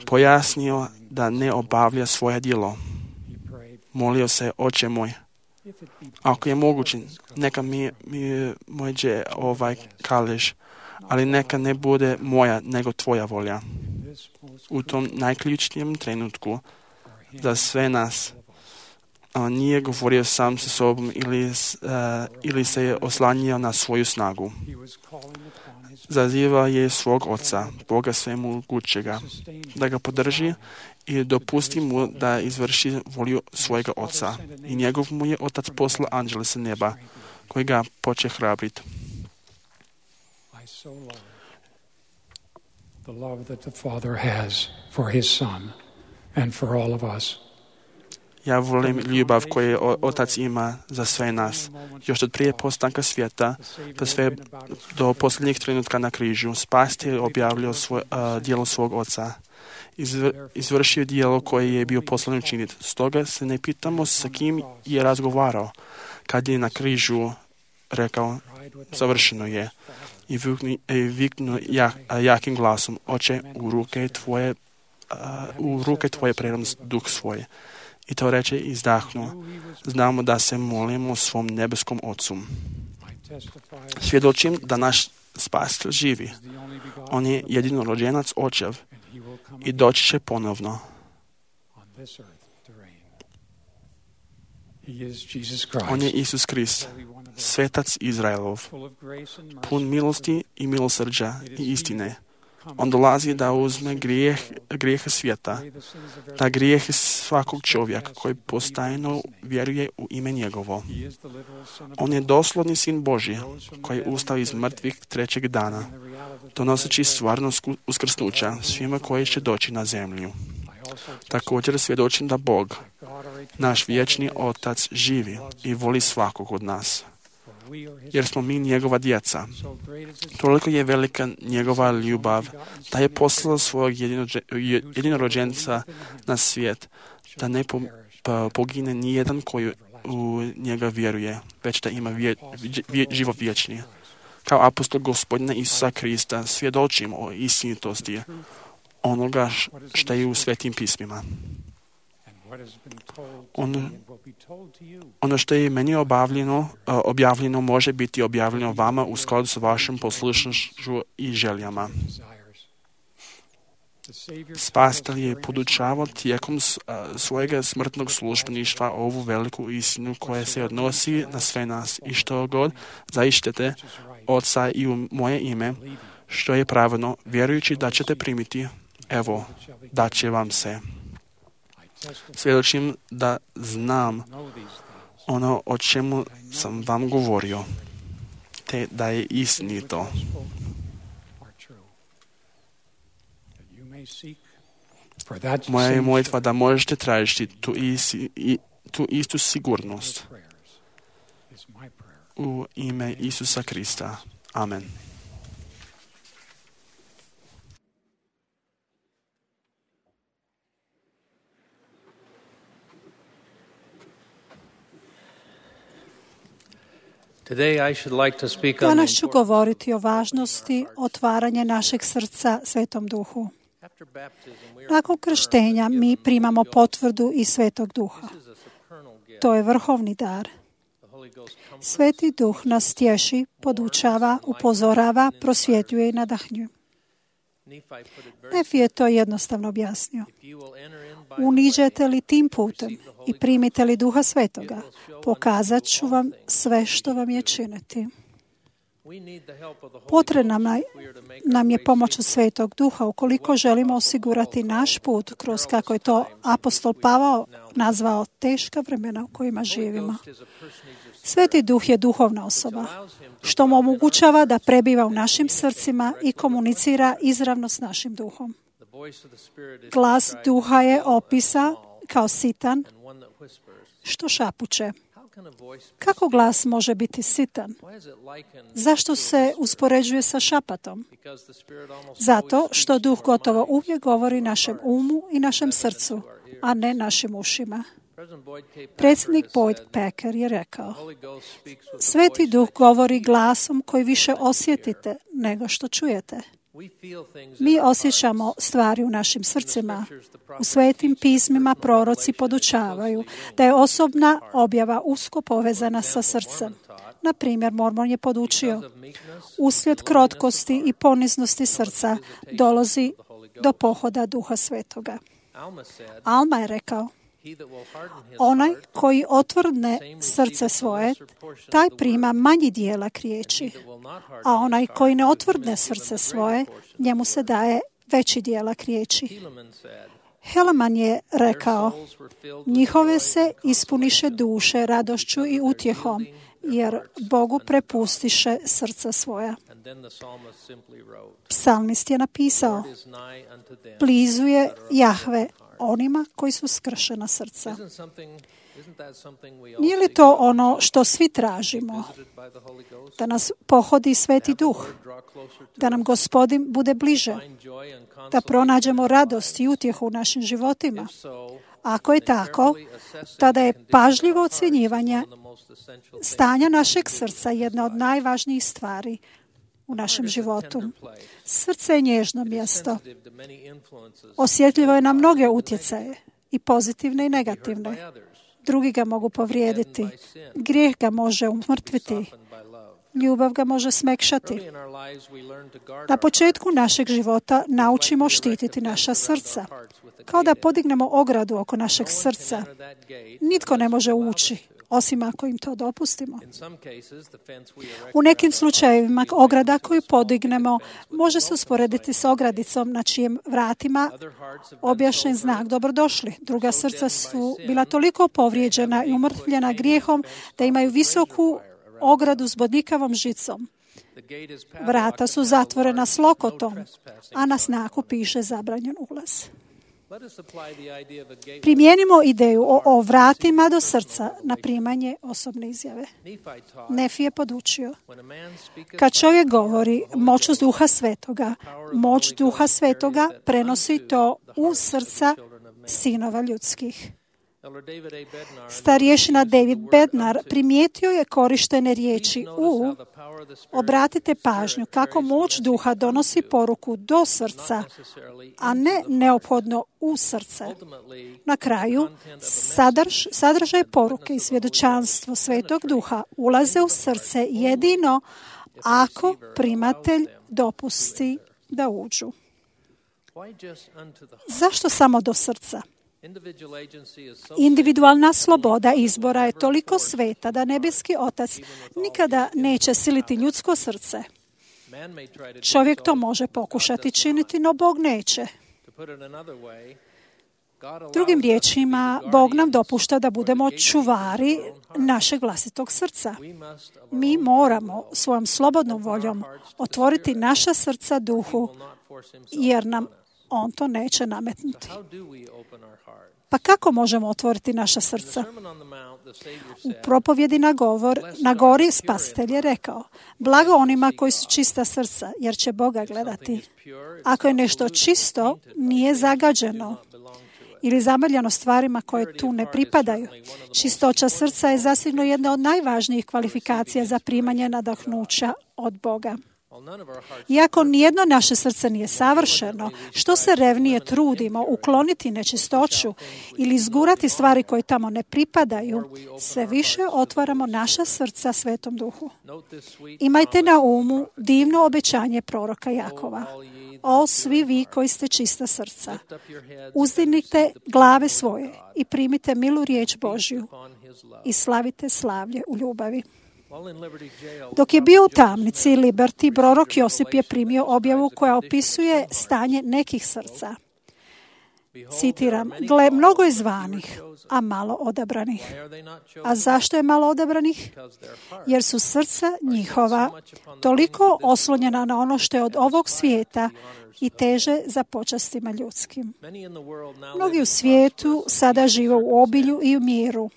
pojasnio da ne obavlja svoje djelo. Molio se, Oče moj, ako je moguće, neka mi mođe ovaj kalež, ali neka ne bude moja, nego tvoja volja. U tom najključnijem trenutku za sve nas on nije govorio sam sa sobom ili se je oslanjao na svoju snagu. Zazivao je svog Oca, Boga svemogućega, da ga podrži i dopusti mu da izvrši volju svojega Oca. I njegov mu je Otac poslao anđele sa neba, koji ga poče hrabriti. The love that the Father has for his Son and for all of us. Ja volim ljubav koju Otac ima za sve nas. Još od prije postanka svijeta, pa sve do posljednjih trenutka na križu, Spasitelj je objavljao djelo svog Oca. Izvršio djelo koje je bio poslan učiniti. Stoga se ne pitamo sa kim je razgovarao, kad je na križu rekao, završeno je. I viknuo jakim glasom, Oče, u ruke tvoje predam duh svoje. I to reče i izdahnuo. Znamo da se molimo svom nebeskom Ocu. Svjedočim da naš Spasitelj živi. On je jedinorođenac Očev i doći će ponovno. On je Isus Krist, svetac Izraelov, pun milosti i milosrđa i istine. On dolazi da uzme grijehe svijeta, da grijehe svakog čovjeka koji postajno vjeruje u ime njegovo. On je doslovni sin Božji, koji je ustao iz mrtvih trećeg dana, donoseći stvarnost uskrsnuća svima koji će doći na zemlju. Također svjedočim da Bog, naš vječni Otac, živi i voli svakog od nas, jer smo mi njegova djeca. Toliko je velika njegova ljubav da je poslao svog jedinorođenca na svijet, da ne pogine nijedan koji u njega vjeruje, već da ima život vječni. Kao apostol Gospodina Isusa Krista svjedočim o istinitosti onoga što je u svetim pismima. Ono što je meni objavljeno može biti objavljeno vama u skladu s vašom poslušnošću i željama. Spasitelj je podučavao tijekom svojega smrtnog službeništva ovu veliku istinu koja se odnosi na sve nas i što god zaištete Oca i u moje ime, što je pravedno, vjerujući da ćete primiti, evo, dat će vam se. Svjedočim da znam ono o čemu sam vam govorio, te da je istinito. Moja je molitva da možete tražiti tu istu sigurnost. U ime Isusa Krista. Amen. Danas ću govoriti o važnosti otvaranja našeg srca Svetom Duhu. Nakon krštenja mi primamo potvrdu iz Svetog Duha. To je vrhovni dar. Sveti Duh nas tješi, podučava, upozorava, prosvjetljuje i nadahnjuje. Nefi je to jednostavno objasnio. Uniđete li tim putem i primite li Duha Svetoga, pokazat ću vam sve što vam je činiti. Potrebna nam je pomoć od Svetog Duha ukoliko želimo osigurati naš put kroz, kako je to apostol Pavao nazvao, teška vremena u kojima živimo. Sveti Duh je duhovna osoba, što mu omogućava da prebiva u našim srcima i komunicira izravno s našim duhom. Glas Duha je opisa kao sitan, što šapuće. Kako glas može biti sitan? Zašto se uspoređuje sa šapatom? Zato što Duh gotovo uvijek govori našem umu i našem srcu, a ne našim ušima. Predsjednik Boyd Packer je rekao: Sveti Duh govori glasom koji više osjetite nego što čujete. Mi osjećamo stvari u našim srcima. U svetim pismima proroci podučavaju da je osobna objava usko povezana sa srcem. Na primjer, Mormon je podučio: uslijed krotkosti i poniznosti srca dolazi do pohoda Duha Svetoga. Alma je rekao: onaj koji otvrdne srce svoje, taj prima manji dijelak riječi, a onaj koji ne otvrdne srce svoje, njemu se daje veći dijelak riječi. Helaman je rekao: njihove se ispuniše duše radošću i utjehom, jer Bogu prepustiše srca svoja. Psalmist je napisao: blizu je Jahve onima koji su skršena srca. Nije li to ono što svi tražimo? Da nas pohodi Sveti Duh, da nam Gospodin bude bliže, da pronađemo radost i utjehu u našim životima. Ako je tako, tada je pažljivo ocjenjivanje stanja našeg srca jedna od najvažnijih stvari u našem životu. Srce je nježno mjesto. Osjetljivo je na mnoge utjecaje, i pozitivne i negativne. Drugi ga mogu povrijediti. Grijeh ga može umrtviti. Ljubav ga može smekšati. Na početku našeg života naučimo štititi naša srca. Kao da podignemo ogradu oko našeg srca. Nitko ne može ući, osim ako im to dopustimo. U nekim slučajevima ograda koju podignemo može se usporediti s ogradicom na čijem vratima objašnjen znak dobrodošli. Druga srca su bila toliko povrijeđena i umrtvljena grijehom da imaju visoku ogradu s bodljikavom žicom. Vrata su zatvorena s lokotom, a na znaku piše zabranjen ulaz. Primijenimo ideju o vratima do srca na primanje osobne izjave. Nefi je podučio: kad čovjek govori moć Duha Svetoga, moć Duha Svetoga prenosi to u srca sinova ljudskih. Starješina David Bednar primijetio je korištene riječi u. Obratite pažnju kako moć Duha donosi poruku do srca, a ne neophodno u srce. Na kraju, sadržaj poruke i svjedočanstvo Svetog Duha ulaze u srce jedino ako primatelj dopusti da uđu. Zašto samo do srca? Individualna sloboda izbora je toliko sveta da nebeski Otac nikada neće siliti ljudsko srce. Čovjek to može pokušati činiti, no Bog neće. Drugim riječima, Bog nam dopušta da budemo čuvari našeg vlastitog srca. Mi moramo svojom slobodnom voljom otvoriti naša srca Duhu, jer nam On to neće nametnuti. Pa kako možemo otvoriti naša srca? U propovjedi na gori Spasitelj je rekao: blago onima koji su čista srca, jer će Boga gledati. Ako je nešto čisto, nije zagađeno ili zamrljeno stvarima koje tu ne pripadaju. Čistoća srca je zasigurno jedna od najvažnijih kvalifikacija za primanje nadahnuća od Boga. Iako nijedno naše srce nije savršeno, što se revnije trudimo ukloniti nečistoću ili izgurati stvari koje tamo ne pripadaju, sve više otvaramo naša srca Svetom Duhu. Imajte na umu divno obećanje proroka Jakova. O svi vi koji ste čista srca, uzdignite glave svoje i primite milu riječ Božju i slavite slavlje u ljubavi. Dok je bio u tamnici Liberty, prorok Josip je primio objavu koja opisuje stanje nekih srca. Citiram, gle, mnogo je zvanih, a malo odabranih. A zašto je malo odabranih? Jer su srca njihova toliko oslonjena na ono što je od ovog svijeta i teže za počastima ljudskim. Mnogi u svijetu sada žive u obilju i u miru.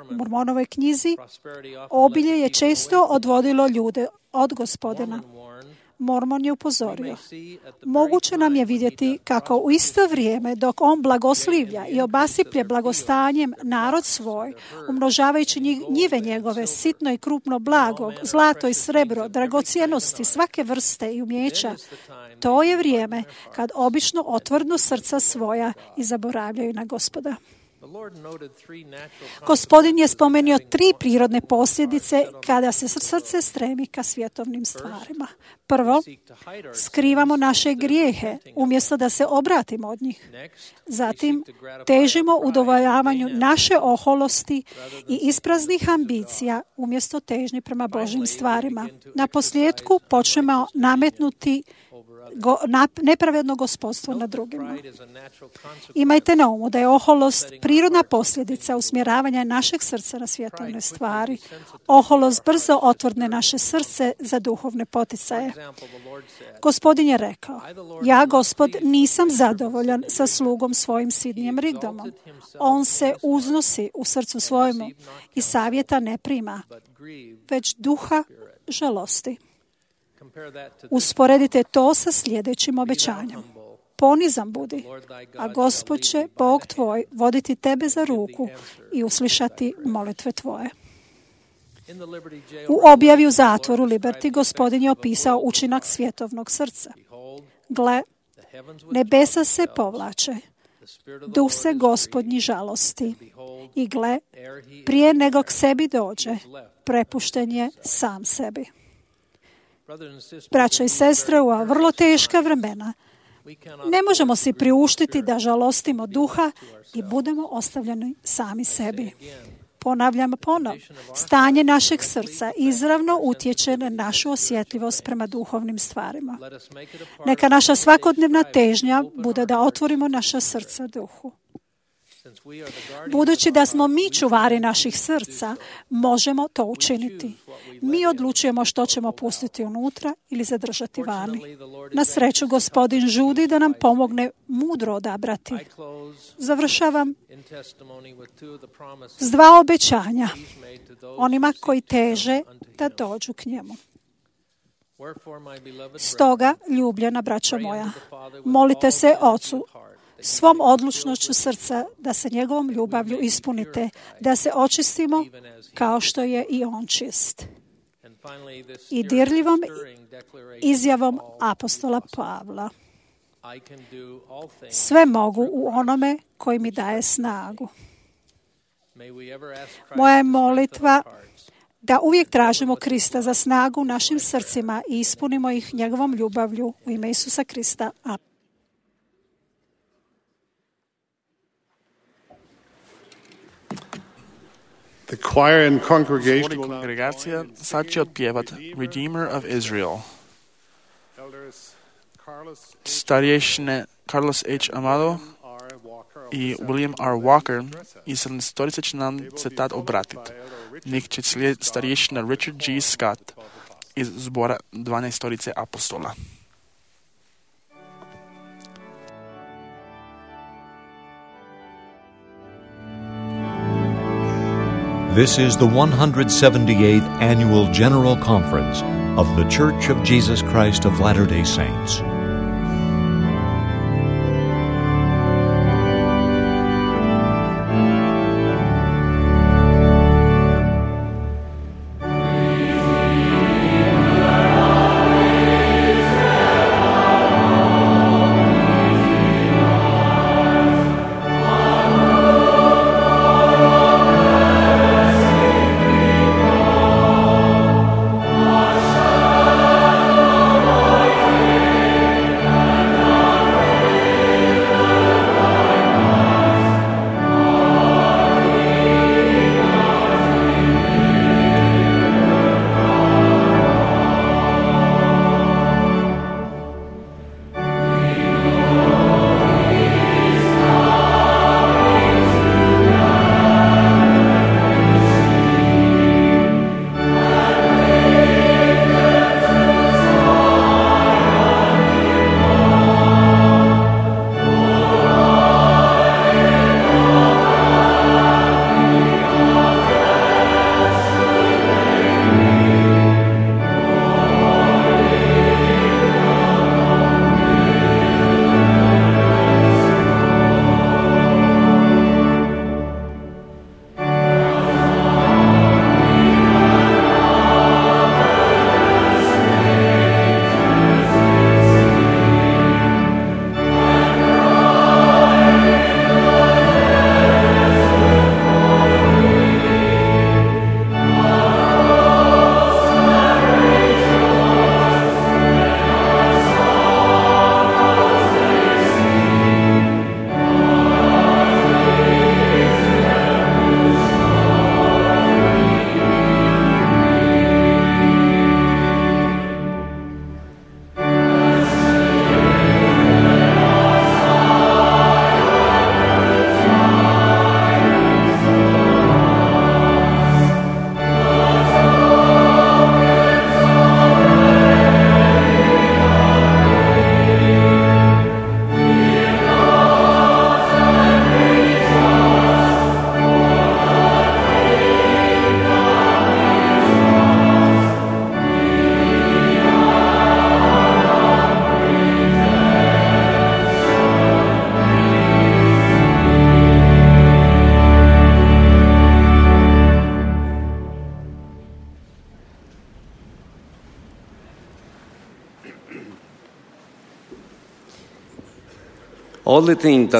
U Mormonovoj knjizi obilje je često odvodilo ljude od Gospodina. Mormon je upozorio. Moguće nam je vidjeti kako u isto vrijeme dok on blagoslivlja i obasiplje blagostanjem narod svoj, umnožavajući njive njegove, sitno i krupno blago, zlato i srebro, dragocjenosti svake vrste i umjeća, to je vrijeme kad obično otvrnu srca svoja i zaboravljaju na Gospoda. Gospodin je spomenuo 3 prirodne posljedice kada se srce stremi ka svjetovnim stvarima. Prvo, skrivamo naše grijehe umjesto da se obratimo od njih. Zatim, težimo udovoljavanju naše oholosti i ispraznih ambicija umjesto težnji prema Božjim stvarima. Na posljedku počnemo nametnuti nepravedno gospodstvo nad drugima. Imajte na umu da je oholost prirodna posljedica usmjeravanja našeg srca na svjetovne stvari. Oholost brzo otvrne naše srce za duhovne poticaje. Gospodin je rekao, ja, Gospod, nisam zadovoljan sa slugom svojim sidnijem Rigdomom. On se uznosi u srcu svojemu i savjeta ne prima, već duha žalosti. Usporedite to sa sljedećim obećanjem. Ponizan budi, a Gospod će, Bog tvoj, voditi tebe za ruku i uslišati molitve tvoje. U objavi u zatvoru Liberty Gospodin je opisao učinak svjetovnog srca. Gle, nebesa se povlače, duh se Gospodnji žalosti. I gle, prije nego k sebi dođe, prepušten je sam sebi. Braćo i sestre, u ova vrlo teška vremena ne možemo si priuštiti da žalostimo duha i budemo ostavljeni sami sebi. Ponavljam ponovno, stanje našeg srca izravno utječe na našu osjetljivost prema duhovnim stvarima. Neka naša svakodnevna težnja bude da otvorimo naša srca duhu. Budući da smo mi čuvari naših srca, možemo to učiniti. Mi odlučujemo što ćemo pustiti unutra ili zadržati vani. Na sreću, Gospodin žudi da nam pomogne mudro odabrati. Završavam s 2 obećanja onima koji teže da dođu k njemu. Stoga, ljubljena braćo moja, molite se Ocu svom odlučnošću srca da se njegovom ljubavlju ispunite, da se očistimo kao što je i on čist. I dirljivom izjavom apostola Pavla. Sve mogu u onome koji mi daje snagu. Moja je molitva da uvijek tražimo Krista za snagu u našim srcima i ispunimo ih njegovom ljubavlju u ime Isusa Krista. Amen. Kongregacija sad će otpjevat Redeemer of Israel. Starješine Carlos H. Amado i William R. Walker iz 17. će nam se tad obratiti. Nek će slijediti starješina Richard G. Scott iz zbora 12 apostola. This is the 178th Annual General Conference of The Church of Jesus Christ of Latter-day Saints.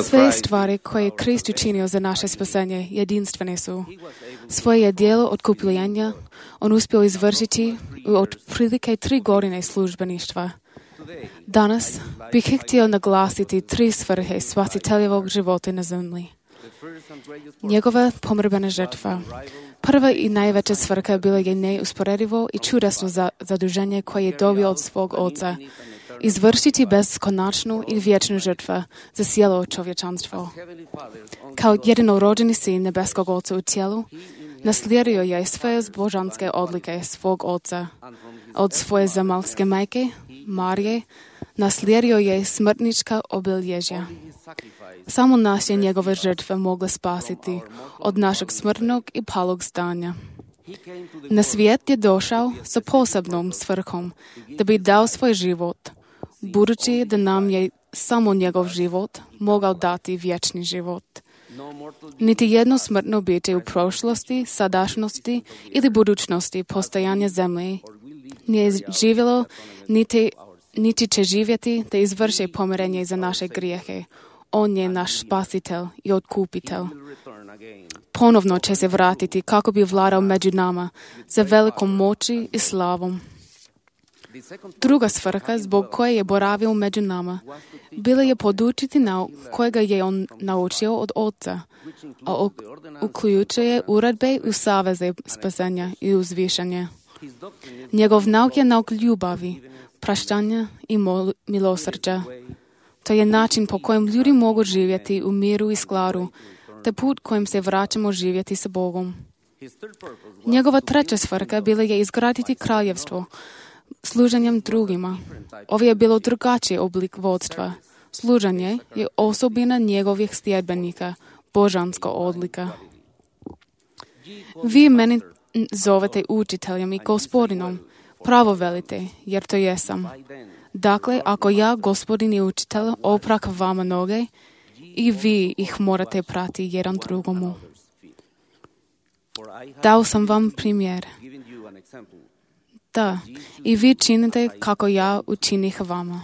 Sve stvari koje je Krist učinio za naše spasenje jedinstvene su. Svoje je djelo otkupljenja on uspio izvršiti u otprilike 3 godine službeništva. Danas bih htio naglasiti 3 svrhe spasiteljevog života na zemlji. Njegova pomirbena žrtva. Prva i najveća svrha bila je neusporedivo i čudesno zaduženje koje je dobio od svog Oca. Izvršiti beskonačnu i vječnu žrtvu za cijelo čovječanstvo. Kao jedinorođeni sin nebeskog Oca u tijelu, naslijedio je sve božanske odlike svog Oca. Od svoje zemaljske majke, Marije, naslijedio je smrtnička obilježja. Samo nas je njegove žrtve mogle spasiti od našeg smrtnog i palog stanja. Na svijet je došao sa posebnom svrhom da bi dao svoj život, budući da nam je samo njegov život mogao dati vječni život. Niti jedno smrtno biće u prošlosti, sadašnjosti ili budućnosti postojanja zemlje nije živjelo, niti će živjeti da izvrši pomirenje za naše grijehe. On je naš spasitelj i otkupitelj. Ponovno će se vratiti kako bi vladao među nama za velikom moći i slavom. Druga svrha zbog koje je boravio među nama bila je podučiti nauk kojega je on naučio od Oca, a uključuje uredbe i saveze spasenja i uzvišanja. Njegov nauk je nauk ljubavi, praštanja i milosrđa. To je način po kojem ljudi mogu živjeti u miru i skladu, te put kojim se vraćamo živjeti sa Bogom. Njegova treća svrha bila je izgraditi kraljevstvo služenjem drugima. Ovo je bilo drugačiji oblik vodstva. Služenje je osobina njegovih sljedbenika, božanska odlika. Vi meni zovete učiteljem i gospodinom. Pravo velite, jer to jesam. Dakle, ako ja, gospodin i učitelj, oprak vama noge, i vi ih morate prati jedan drugomu. Dao sam vam primjer. Da, i vi činite kako ja učinih vama.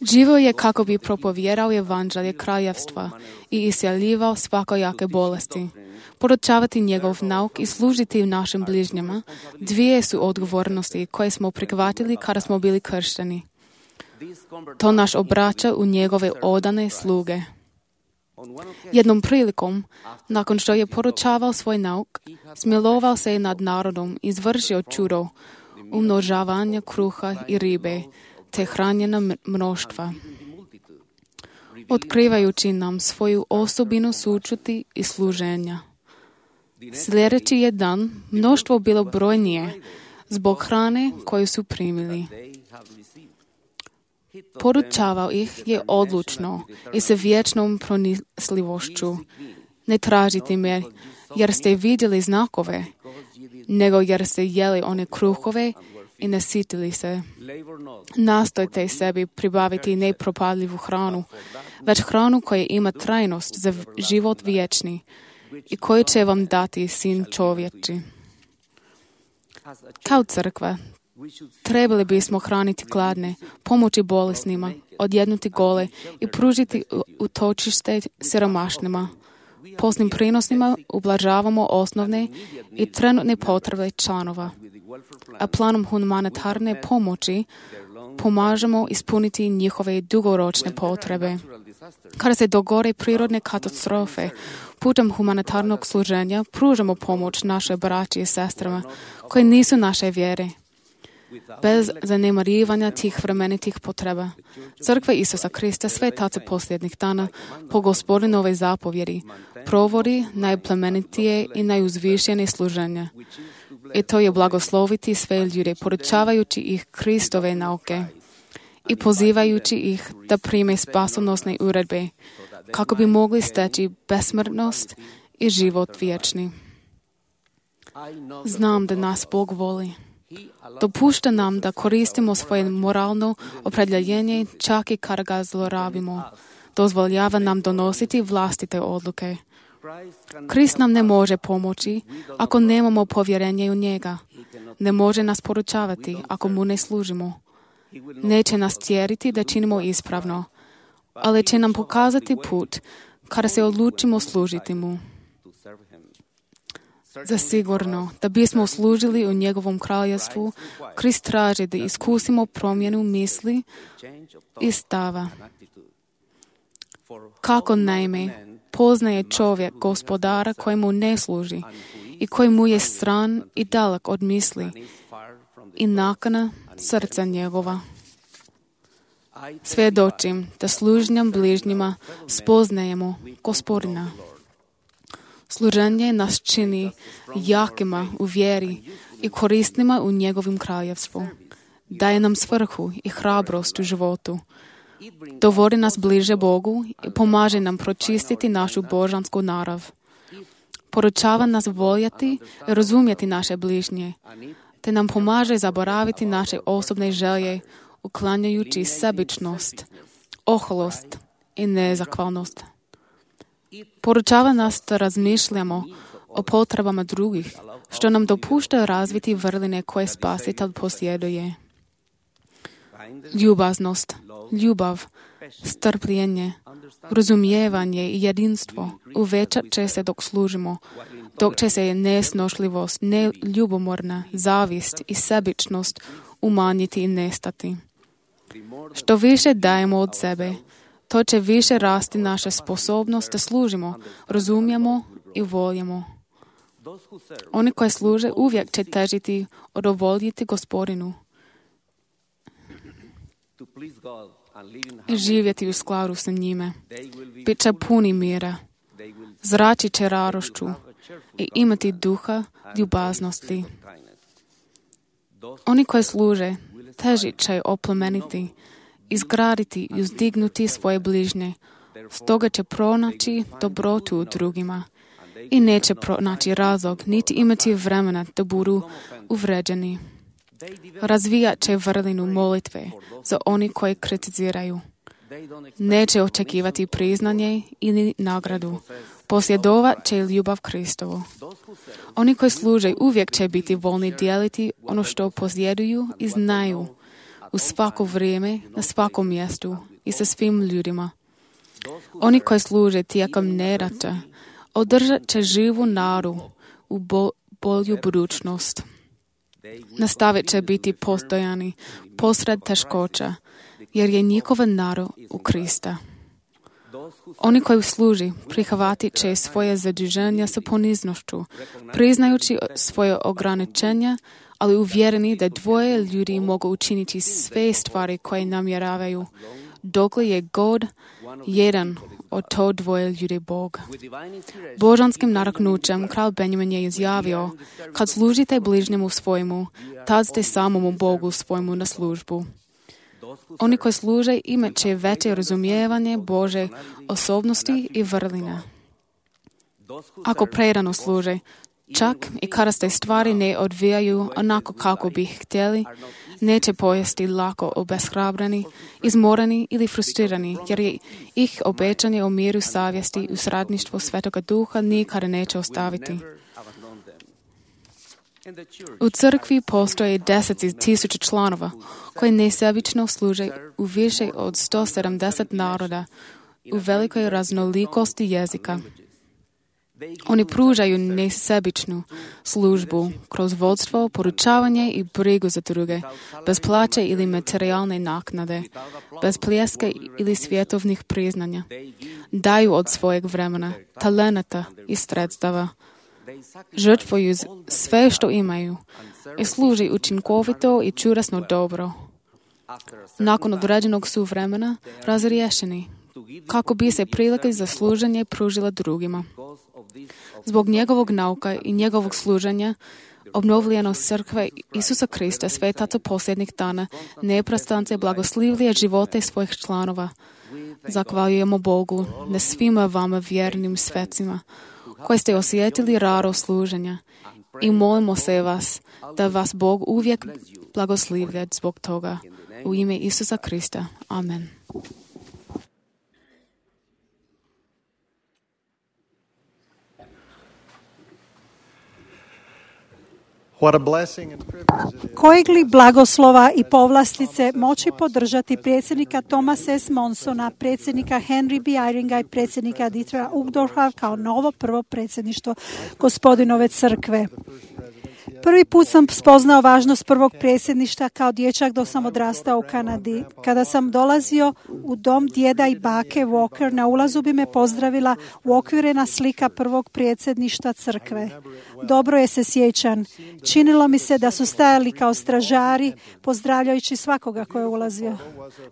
Živio je kako bi propovjedao evanđelje kraljevstva i isceljivao svakojake bolesti. Podučavati njegov nauk i služiti našim bližnjima, 2 su odgovornosti koje smo prihvatili kada smo bili kršteni. To nas obraća u njegove odane sluge. Jednom prilikom, nakon što je poručavao svoj nauk, smilovao se nad narodom i izvršio čudo, umnožavanja kruha i ribe, te hranjena mnoštva. Otkrivajući nam svoju osobinu sućuti i služenja. Sljedeći je dan mnoštvo bilo brojnije zbog hrane koju su primili. Podučavao ih je odlučno i sa vječnom pronicljivošću. Ne tražite me jer ste vidjeli znakove, nego jer ste jeli one kruhove i nasitili se. Nastojte sebi pribaviti nepropadljivu hranu, već hranu koja ima trajnost za život vječni i koju će vam dati Sin čovječi. Kao crkva, trebali bismo hraniti gladne, pomoći bolesnima, odjednuti gole i pružiti utočište siromašnima. Posnim prinosima ublažavamo osnovne i trenutne potrebe članova, a planom humanitarne pomoći pomažemo ispuniti njihove dugoročne potrebe. Kada se dogode prirodne katastrofe, putem humanitarnog služenja pružamo pomoć naše braći i sestrama koji nisu naše vjere. Bez zanemarivanja tih vremenitih potreba. Crkva Isusa Krista, svetaca posljednjih dana, po Gospodinove zapovjedi, provodi najplemenitije i najuzvišenije služenje. I to je blagosloviti sve ljude, podučavajući ih Kristove nauke i pozivajući ih da prime spasonosne uredbe, kako bi mogli steći besmrtnost i život vječni. Znam da nas Bog voli. Dopušta nam da koristimo svoje moralno opredjeljenje čak i kada ga zlorabimo. Dozvoljava nam donositi vlastite odluke. Krist nam ne može pomoći ako nemamo povjerenje u njega. Ne može nas podučavati ako mu ne služimo. Neće nas tjeriti da činimo ispravno. ali će nam pokazati put kada se odlučimo služiti mu. Zasigurno, da bismo služili u njegovom kraljevstvu, Krist traži da iskusimo promjenu misli i stava. Kako naime poznaje čovjek gospodara koji mu ne služi i koji mu je stran i dalek od misli i nakana srca njegova. Svjedočim da služnjam bližnjima spoznajemo Gospodina. Služenje nas čini jakima u vjeri i korisnima u njegovim kraljevstvu. Daje nam svrhu i hrabrost u životu. Dovodi nas bliže Bogu i pomaže nam pročistiti našu božansku narav. Poručava nas voljeti i razumjeti naše bližnje, te nam pomaže zaboraviti naše osobne želje, uklanjajući sebičnost, oholost i nezahvalnost. Poručava nas da razmišljamo o potrebama drugih, što nam dopušta razviti vrline koje Spasitelj posjeduje. Ljubaznost, ljubav, strpljenje, razumijevanje i jedinstvo uvećat će se dok služimo, dok će se nesnošljivost, neljubomorna, zavist i sebičnost umanjiti i nestati. Što više dajemo od sebe, to će više rasti naša sposobnost da služimo, razumijemo i voljemo. Oni koji služe uvijek će težiti udovoljiti Gospodinu i živjeti u skladu sa njime. Bit će puni mira, zrači će radošću i imati duha ljubaznosti. Oni koji služe težit će oplemeniti, izgraditi i uzdignuti svoje bližnje. Stoga će pronaći dobrotu u drugima i neće pronaći razlog niti imati vremena da budu uvređeni. Razvijat će vrlinu molitve za oni koji kritiziraju. Neće očekivati priznanje ili nagradu. Posjedovat će ljubav Kristovu. Oni koji služe uvijek će biti voljni dijeliti ono što posjeduju i znaju u svako vrijeme, na svakom mjestu i sa svim ljudima. Oni koji služe tijekom nedaća održat će živu nadu u bolju budućnost. Nastavit će biti postojani posred teškoća, jer je njihova nada u Krista. Oni koji služi prihvatit će svoje zaduženja sa poniznošću, priznajući svoje ograničenja, ali uvjereni da dvoje ljudi mogu učiniti sve stvari koje namjeravaju, dokle je god jedan od to dvoje ljudi Bog. Božanskim naraknućem kralj Benjamin je izjavio, kad služite bližnjemu svojemu, tad ste samomu Bogu svojemu na službu. Oni koji služe imat će veće razumijevanje Bože osobnosti i vrlina. Ako predano služe, čak i kada se stvari ne odvijaju onako kako bi htjeli, neće pojesti lako obeshrabreni, izmoreni ili frustrirani, jer je ih obećanje o miru savjesti u sradništvu Svetoga Duha nikada neće ostaviti. U crkvi postoje 10,000 članova koji nesebično služe u više od 170 naroda u velikoj raznolikosti jezika. Oni pružaju nesebičnu službu kroz vodstvo, poručavanje i brigu za druge, bez plaće ili materijalne naknade, bez pljeske ili svjetovnih priznanja. Daju od svojeg vremena, talenata i sredstava. Žrtvuju sve što imaju i služi učinkovito i čudesno dobro. Nakon određenog su vremena razriješeni, kako bi se prilike za služenje pružila drugima. Zbog njegovog nauka i njegovog služenja, obnovljenost crkve Isusa Krista, svetaca posljednjih dana, neprestance blagoslivlje živote svojih članova. Zahvaljujemo Bogu na svima vama vjernim svecima, koji ste osjetili radost služenja, i molimo se vas da vas Bog uvijek blagoslivlja zbog toga. U ime Isusa Krista. Amen. Kojeg li blagoslova i povlastice moći podržati predsjednika Thomasa S. Monsona, predsjednika Henry B. Eyringa i predsjednika Dietrich Uchtdorfa kao novo prvo predsjedništvo Gospodinove crkve. Prvi put sam spoznao važnost prvog predsjedništva kao dječak dok sam odrastao u Kanadi. Kada sam dolazio u dom djeda i bake Walker, na ulazu bi me pozdravila uokvirena slika prvog predsjedništva crkve. Dobro je se sjećam. Činilo mi se da su stajali kao stražari, pozdravljajući svakoga ko je ulazio.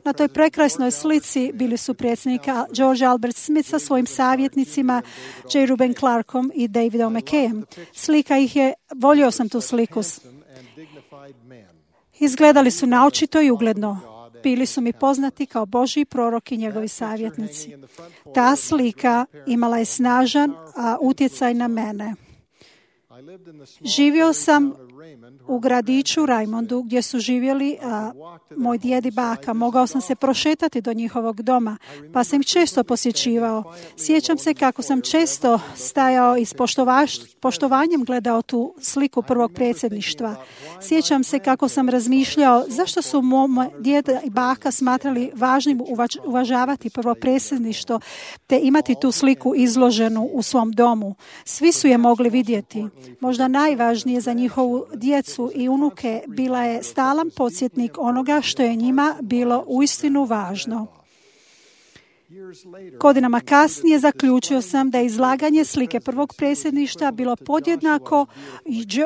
Na toj prekrasnoj slici bili su predsjednika George Albert Smith sa svojim savjetnicima J. Reuben Clarkom i Davidom McKayem. Slika ih je, volio sam tu sliku. Izgledali su naočito i ugledno. Bili su mi poznati kao Božji prorok i njegovi savjetnici. Ta slika imala je snažan utjecaj na mene. Živio sam u gradiću Raymondu gdje su živjeli moj djed i baka. Mogao sam se prošetati do njihovog doma, pa sam ih često posjećivao. Sjećam se kako sam često stajao i s poštovanjem gledao tu sliku prvog predsjedništva. Sjećam se kako sam razmišljao zašto su moj djed i baka smatrali važnim uvažavati prvo predsjedništvo te imati tu sliku izloženu u svom domu. Svi su je mogli vidjeti. Možda najvažnije za njihovu djecu i unuke bila je stalan podsjetnik onoga što je njima bilo uistinu važno. Godinama kasnije zaključio sam da je izlaganje slike prvog predsjedništva bilo podjednako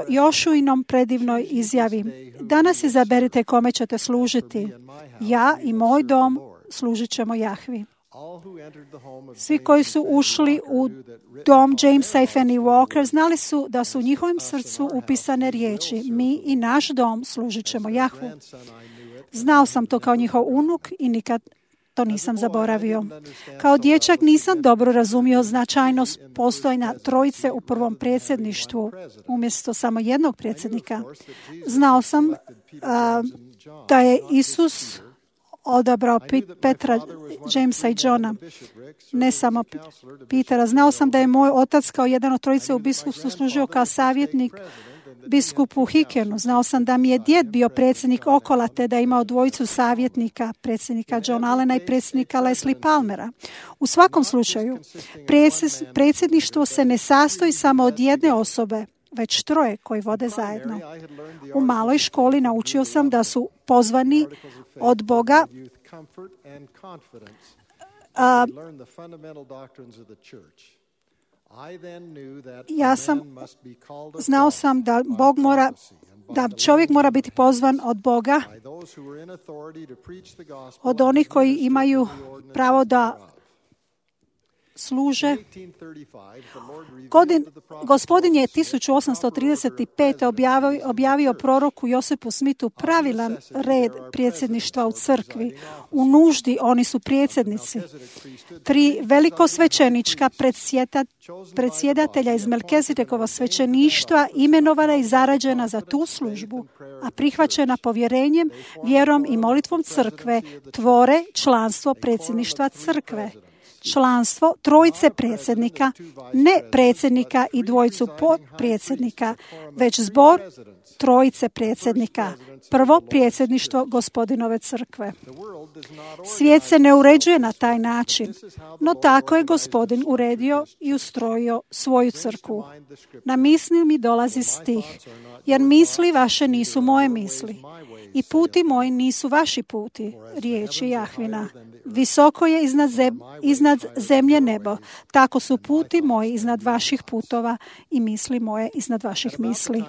Jošuinom predivnoj izjavi. Danas izaberite kome ćete služiti. Ja i moj dom služit ćemo Jahvi. Svi koji su ušli u dom Jamesa i Fanny Walker znali su da su u njihovom srcu upisane riječi: mi i naš dom služit ćemo Jahvu. Znao sam to kao njihov unuk i nikad to nisam zaboravio. Kao dječak nisam dobro razumio značajnost postojanja trojice u prvom predsjedništvu umjesto samo jednog predsjednika. Znao sam da je Isus odabrao Petra, Jamesa i Johna, ne samo Petera. Znao sam da je moj otac kao jedan od trojice u biskupstvu služio kao savjetnik biskupu Hickenu. Znao sam da mi je djed bio predsjednik Okola, te da je imao dvojicu savjetnika, predsjednika John Allena i predsjednika Leslie Palmera. U svakom slučaju, predsjedništvo se ne sastoji samo od jedne osobe, već troje koji vode zajedno. U maloj školi naučio sam da su pozvani od Boga znao sam da Bog mora, da čovjek mora biti pozvan od Boga, od onih koji imaju pravo da služe. Gospodin je 1835. objavio proroku Josipu Smithu pravilan red predsjedništva u crkvi. U nuždi oni su predsjednici. 3 velikosvećenička predsjedatelja iz Melkizedekova svećeništva imenovana i zarađena za tu službu, a prihvaćena povjerenjem, vjerom i molitvom crkve, tvore članstvo predsjedništva crkve. Članstvo trojice predsjednika, ne predsjednika i dvojicu potpredsjednika, već zbor trojice predsjednika, prvo predsjedništvo Gospodinove crkve. Svijet se ne uređuje na taj način, no tako je Gospodin uredio i ustrojio svoju crkvu. Na misli mi dolazi stih, jer misli vaše nisu moje misli i puti moji nisu vaši puti, riječi Jahvina. Visoko je iznad zemlje nebo, tako su puti moji iznad vaših putova i misli moje iznad vaših misli.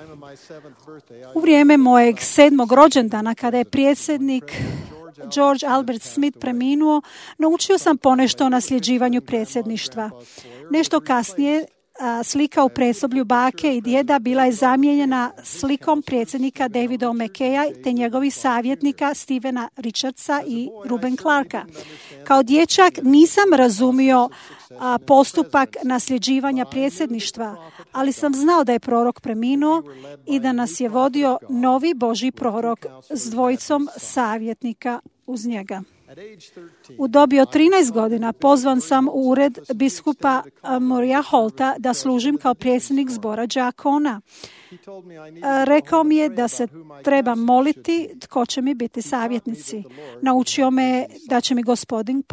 U vrijeme mojeg 7. rođendana, kada je predsjednik George Albert Smith preminuo, naučio sam ponešto o nasljeđivanju predsjedništva. Nešto kasnije slika u predsoblju bake i djeda bila je zamijenjena slikom predsjednika Davida McKaya te njegovih savjetnika Stevena Richardsa i Reuben Clarka. Kao dječak nisam razumio postupak nasljeđivanja predsjedništva, ali sam znao da je prorok preminuo i da nas je vodio novi Božji prorok s dvojicom savjetnika uz njega. U dobi od 13 godina pozvan sam u ured biskupa Murraya Holta da služim kao predsjednik zbora đakona. Rekao mi je da se treba moliti tko će mi biti savjetnici. Naučio me da će mi Gospodin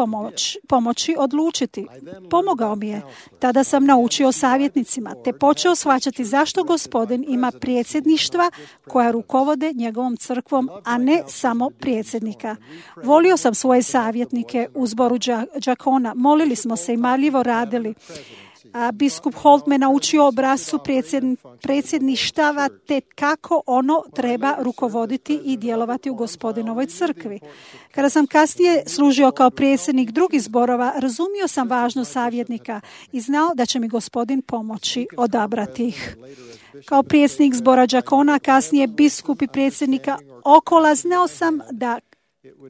pomoći odlučiti. Pomogao mi je. Tada sam naučio o savjetnicima, te počeo shvaćati zašto Gospodin ima predsjedništva koja rukovode njegovom crkvom, a ne samo predsjednika. Volio sam svoje savjetnike u zboru đakona. Molili smo se i marljivo radili. Biskup Holt me naučio obrascu predsjedništava te kako ono treba rukovoditi i djelovati u Gospodinovoj crkvi. Kada sam kasnije služio kao predsjednik drugih zborova, razumio sam važnost savjetnika i znao da će mi Gospodin pomoći odabrati ih. Kao predsjednik zbora đakona, kasnije biskup i predsjednika Okola, znao sam da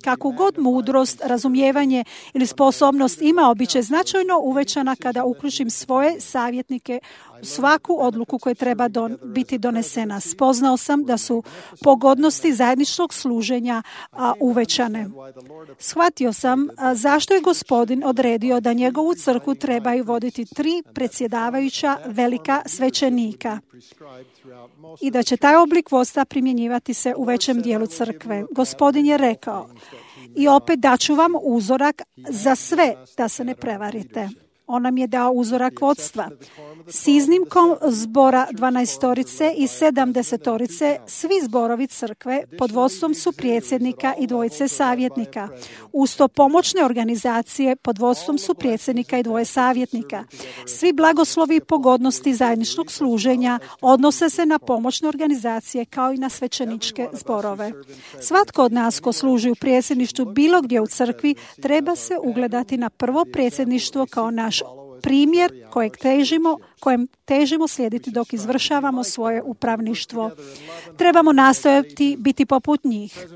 kakvu god mudrost, razumijevanje ili sposobnost imao, bit će značajno uvećana kada uključim svoje savjetnike u svaku odluku koja treba biti donesena. Spoznao sam da su pogodnosti zajedničkog služenja uvećane. Shvatio sam zašto je Gospodin odredio da njegovu crkvu trebaju voditi 3 predsjedavajuća velika svećenika i da će taj oblik vodstva primjenjivati se u većem dijelu crkve. Gospodin je rekao: i opet daću vam uzorak za sve, da se ne prevarite. On nam je dao uzorak vodstva. S iznimkom zbora 12 i 70, svi zborovi crkve pod vodstvom su predsjednika i 2 savjetnika. Uz to pomoćne organizacije pod vodstvom su predsjednika i 2 savjetnika. Svi blagoslovi i pogodnosti zajedničkog služenja odnose se na pomoćne organizacije kao i na svećeničke zborove. Svatko od nas ko služi u predsjedništvu bilo gdje u crkvi treba se ugledati na prvo predsjedništvo kao naš primjer kojem težimo slijediti dok izvršavamo svoje upravništvo. Trebamo nastojati biti poput njih.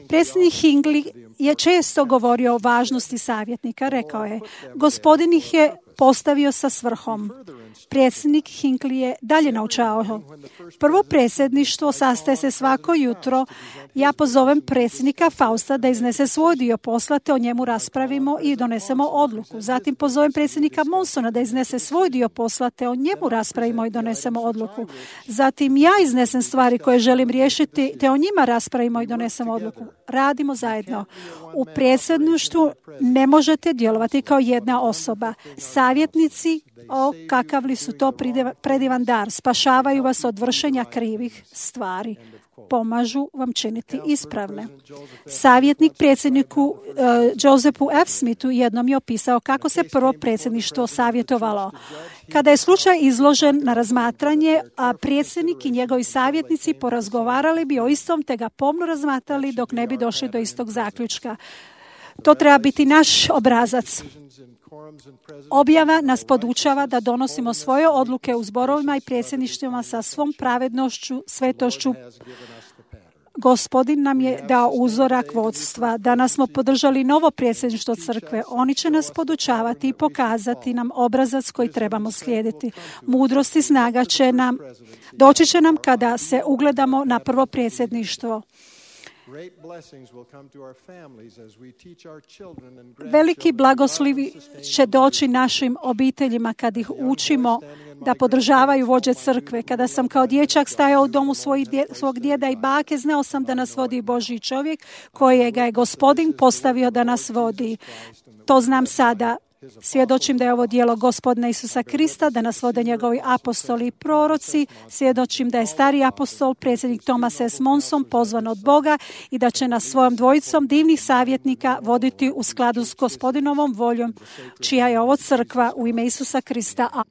Predsjednik Hinckley je često govorio o važnosti savjetnika. Rekao je: Gospodin ih je postavio sa svrhom. Predsjednik Hinckley je dalje naučavao: prvo predsjedništvo sastaje se svako jutro. Ja pozovem predsjednika Fausta da iznese svoj dio posla, te o njemu raspravimo i donesemo odluku. Zatim pozovem predsjednika Monsona da iznese svoj dio posla, te o njemu raspravimo i donesemo odluku. Zatim ja iznesem stvari koje želim riješiti, te o njima raspravimo i donesemo odluku. Radimo zajedno. U predsjedništvu ne možete djelovati kao jedna osoba. Savjetnici, kakav li su to predivan dar, spašavaju vas od vršenja krivih stvari. Pomažu vam činiti ispravne. Savjetnik predsjedniku Josephu F. Smithu jednom je opisao kako se prvo predsjedništvo savjetovalo. Kada je slučaj izložen na razmatranje, a predsjednik i njegovi savjetnici porazgovarali bi o istom te ga pomno razmatrali dok ne bi došli do istog zaključka. To treba biti naš obrazac. Objava nas podučava da donosimo svoje odluke u zborovima i predsjedništvima sa svom pravednošću, svetošću. Gospodin nam je dao uzorak vodstva. Danas smo podržali novo predsjedništvo crkve. Oni će nas podučavati i pokazati nam obrazac koji trebamo slijediti. Mudrost i snaga doći će nam kada se ugledamo na prvo predsjedništvo. Veliki blagoslovi će doći našim obiteljima kad ih učimo da podržavaju vođe crkve. Kada sam kao dječak stajao u domu svog djeda i bake, znao sam da nas vodi Božji čovjek kojega je Gospodin postavio da nas vodi. To znam sada. Svjedočim da je ovo djelo Gospodina Isusa Krista, da nas vode njegovi apostoli i proroci. Svjedočim da je stari apostol, predsjednik Thomas S. Monson, pozvan od Boga i da će nas svojom dvojicom divnih savjetnika voditi u skladu s Gospodinovom voljom, čija je ovo crkva u ime Isusa Krista.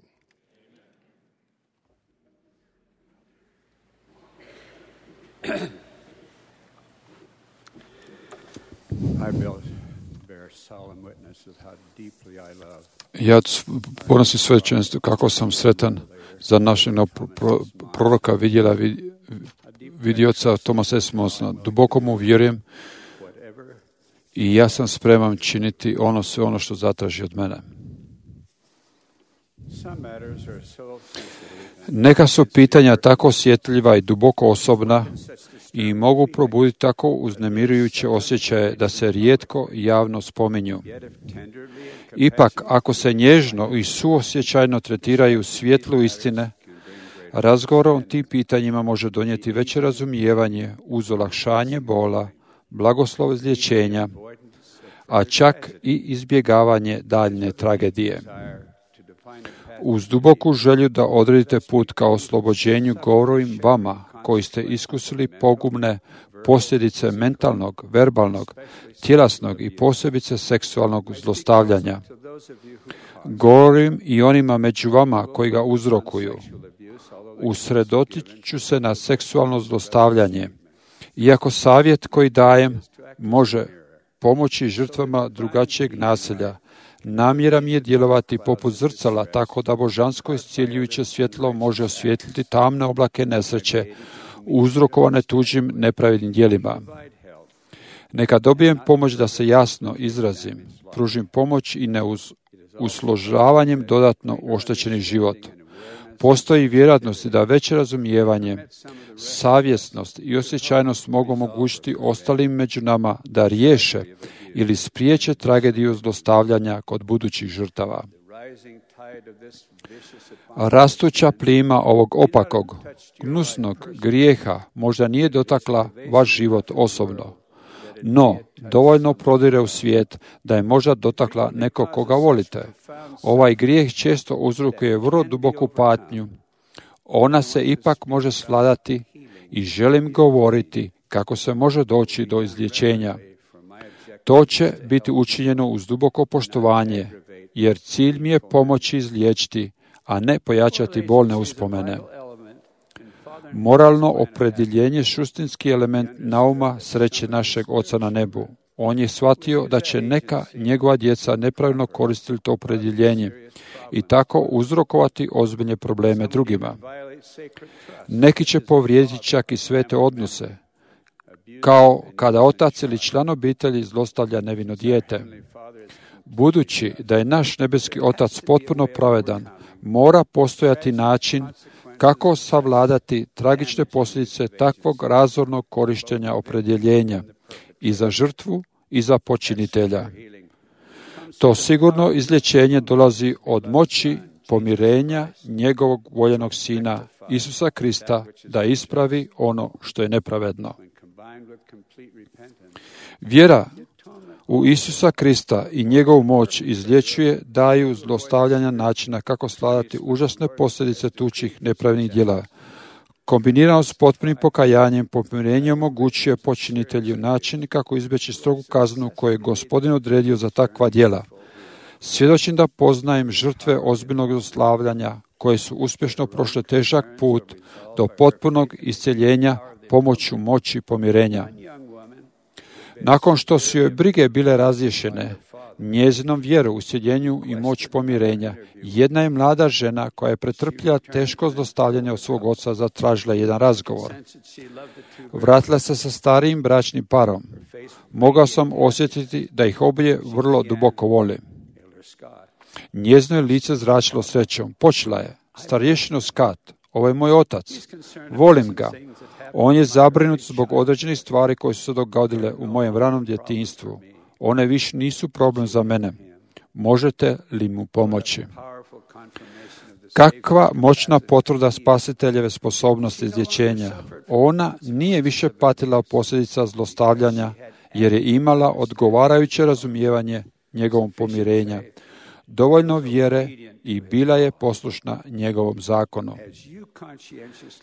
Ja ponosim svećenstvo kako sam sretan za našeg proroka vidioca Thomasa S. Monsona. Duboko mu vjerujem i ja sam spreman činiti sve ono što zatraži od mene. Neka su pitanja tako osjetljiva i duboko osobna i mogu probuditi tako uznemirujuće osjećaje da se rijetko javno spominju. Ipak, ako se nježno i suosjećajno tretiraju svjetlu istine, Razgovor o tim pitanjima može donijeti veće razumijevanje uz olakšanje bola, blagoslov izlječenja, a čak i izbjegavanje daljne tragedije. Uz duboku želju da odredite put ka oslobođenju, govorim vama koji ste iskusili pogubne posljedice mentalnog, verbalnog, tjelesnog i posebice seksualnog zlostavljanja. Govorim i onima među vama koji ga uzrokuju. Usredotiću se na seksualno zlostavljanje. Iako savjet koji dajem može pomoći žrtvama drugačijeg nasilja, namjera mi je djelovati poput zrcala, tako da božansko iscjeljujuće svjetlo može osvijetliti tamne oblake nesreće, uzrokovane tuđim nepravednim djelima. Neka dobijem pomoć da se jasno izrazim, pružim pomoć i ne usložavanjem dodatno oštećeni život. Postoji vjerojatnost da veće razumijevanje, savjesnost i osjećajnost mogu omogućiti ostalim među nama da riješe ili spriječe tragediju zlostavljanja kod budućih žrtava. Rastuća plima ovog opakog, gnusnog grijeha možda nije dotakla vaš život osobno, no dovoljno prodire u svijet da je možda dotakla nekog koga volite. Ovaj grijeh često uzrokuje vrlo duboku patnju. Ona se ipak može svladati i želim govoriti kako se može doći do izlječenja. To će biti učinjeno uz duboko poštovanje, jer cilj mi je pomoći izliječiti, a ne pojačati bolne uspomene. Moralno opredjeljenje suštinski element nauma sreće našeg Oca na nebu. On je shvatio da će neka njegova djeca nepravilno koristiti to opredjeljenje i tako uzrokovati ozbiljne probleme drugima. Neki će povrijediti čak i svete odnose, kao kada otac ili član obitelji zlostavlja nevino dijete. Budući da je naš nebeski Otac potpuno pravedan, mora postojati način kako savladati tragične posljedice takvog razornog korištenja opredjeljenja i za žrtvu i za počinitelja. To sigurno izlječenje dolazi od moći pomirenja njegovog voljenog Sina Isusa Krista da ispravi ono što je nepravedno. Vjera u Isusa Krista i njegovu moć izlječuje, daju zlostavljanja načina kako svladati užasne posljedice tuđih nepravednih djela. Kombinirano s potpunim pokajanjem, pomirenje omogućuje počinitelju način kako izbjeći strogu kaznu koju je Gospodin odredio za takva djela. Svjedočim da poznajem žrtve ozbiljnog zlostavljanja koje su uspješno prošle težak put do potpunog iscjeljenja pomoću moći pomirenja. Nakon što su joj brige bile razriješene, njezinom vjeru u iscjeljenju i moć pomirenja, jedna je mlada žena koja je pretrpjela teško zlostavljanje od svog oca zatražila jedan razgovor. Vratila se sa starijim bračnim parom. Mogao sam osjetiti da ih obje vrlo duboko voli. Njezino je lice zračilo srećom. Počela je: starješino Scott, ovo je moj otac. Volim ga. On je zabrinut zbog određenih stvari koje su se dogodile u mojem ranom djetinjstvu. One više nisu problem za mene. Možete li mu pomoći? Kakva moćna potvrda spasiteljeve sposobnosti izlječenja. Ona nije više patila od posljedica zlostavljanja, jer je imala odgovarajuće razumijevanje njegovom pomirenja, dovoljno vjere i bila je poslušna njegovom zakonu.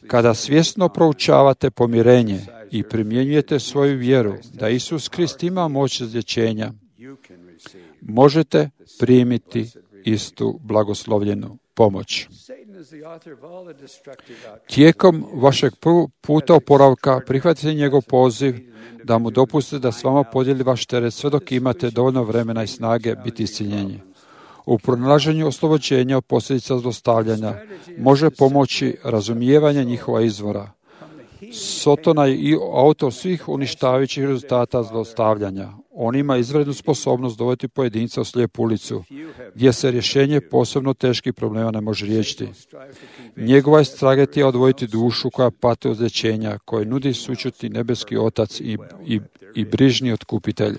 Kada svjesno proučavate pomirenje i primjenjujete svoju vjeru da Isus Krist ima moć izlječenja, možete primiti istu blagoslovljenu pomoć. Tijekom vašeg puta oporavka prihvatite njegov poziv da mu dopustite da s vama podijeli vaš teret sve dok imate dovoljno vremena i snage biti isciljenji. U pronalaženju oslobođenja od posljedica zlostavljanja može pomoći razumijevanje njihova izvora. Sotona je i autor svih uništavajućih rezultata zlostavljanja. On ima izvrednu sposobnost dovesti pojedinca u slijepu ulicu, gdje se rješenje posebno teških problema ne može riješiti. Njegova je strategija odvojiti dušu koja pati od izlječenja, koje nudi sućuti nebeski Otac i brižni otkupitelj.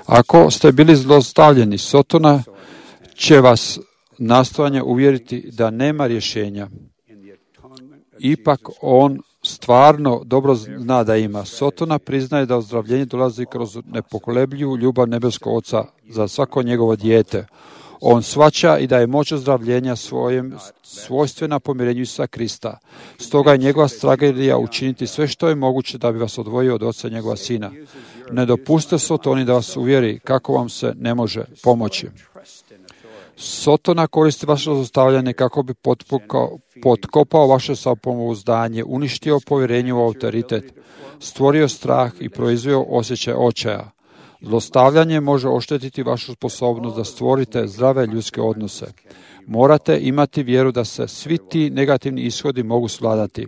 Ako ste bili zlostavljeni, Sotona će vas nastojanje uvjeriti da nema rješenja. Ipak on stvarno dobro zna da ima. Sotona priznaje da ozdravljenje dolazi kroz nepokolebljivu ljubav nebeskog Oca za svako njegovo dijete. On shvaća i da je moć ozdravljenja svojstvena pomirenju Isusa Krista. Stoga je njegova strategija učiniti sve što je moguće da bi vas odvojio od Oca njegova Sina. Ne dopustite Sotoni da vas uvjeri kako vam se ne može pomoći. Sotona koristi vaše zlostavljanje kako bi potkopao vaše samopouzdanje, uništio povjerenje u autoritet, stvorio strah i proizveo osjećaj očaja. Zlostavljanje može oštetiti vašu sposobnost da stvorite zdrave ljudske odnose. Morate imati vjeru da se svi ti negativni ishodi mogu svladati,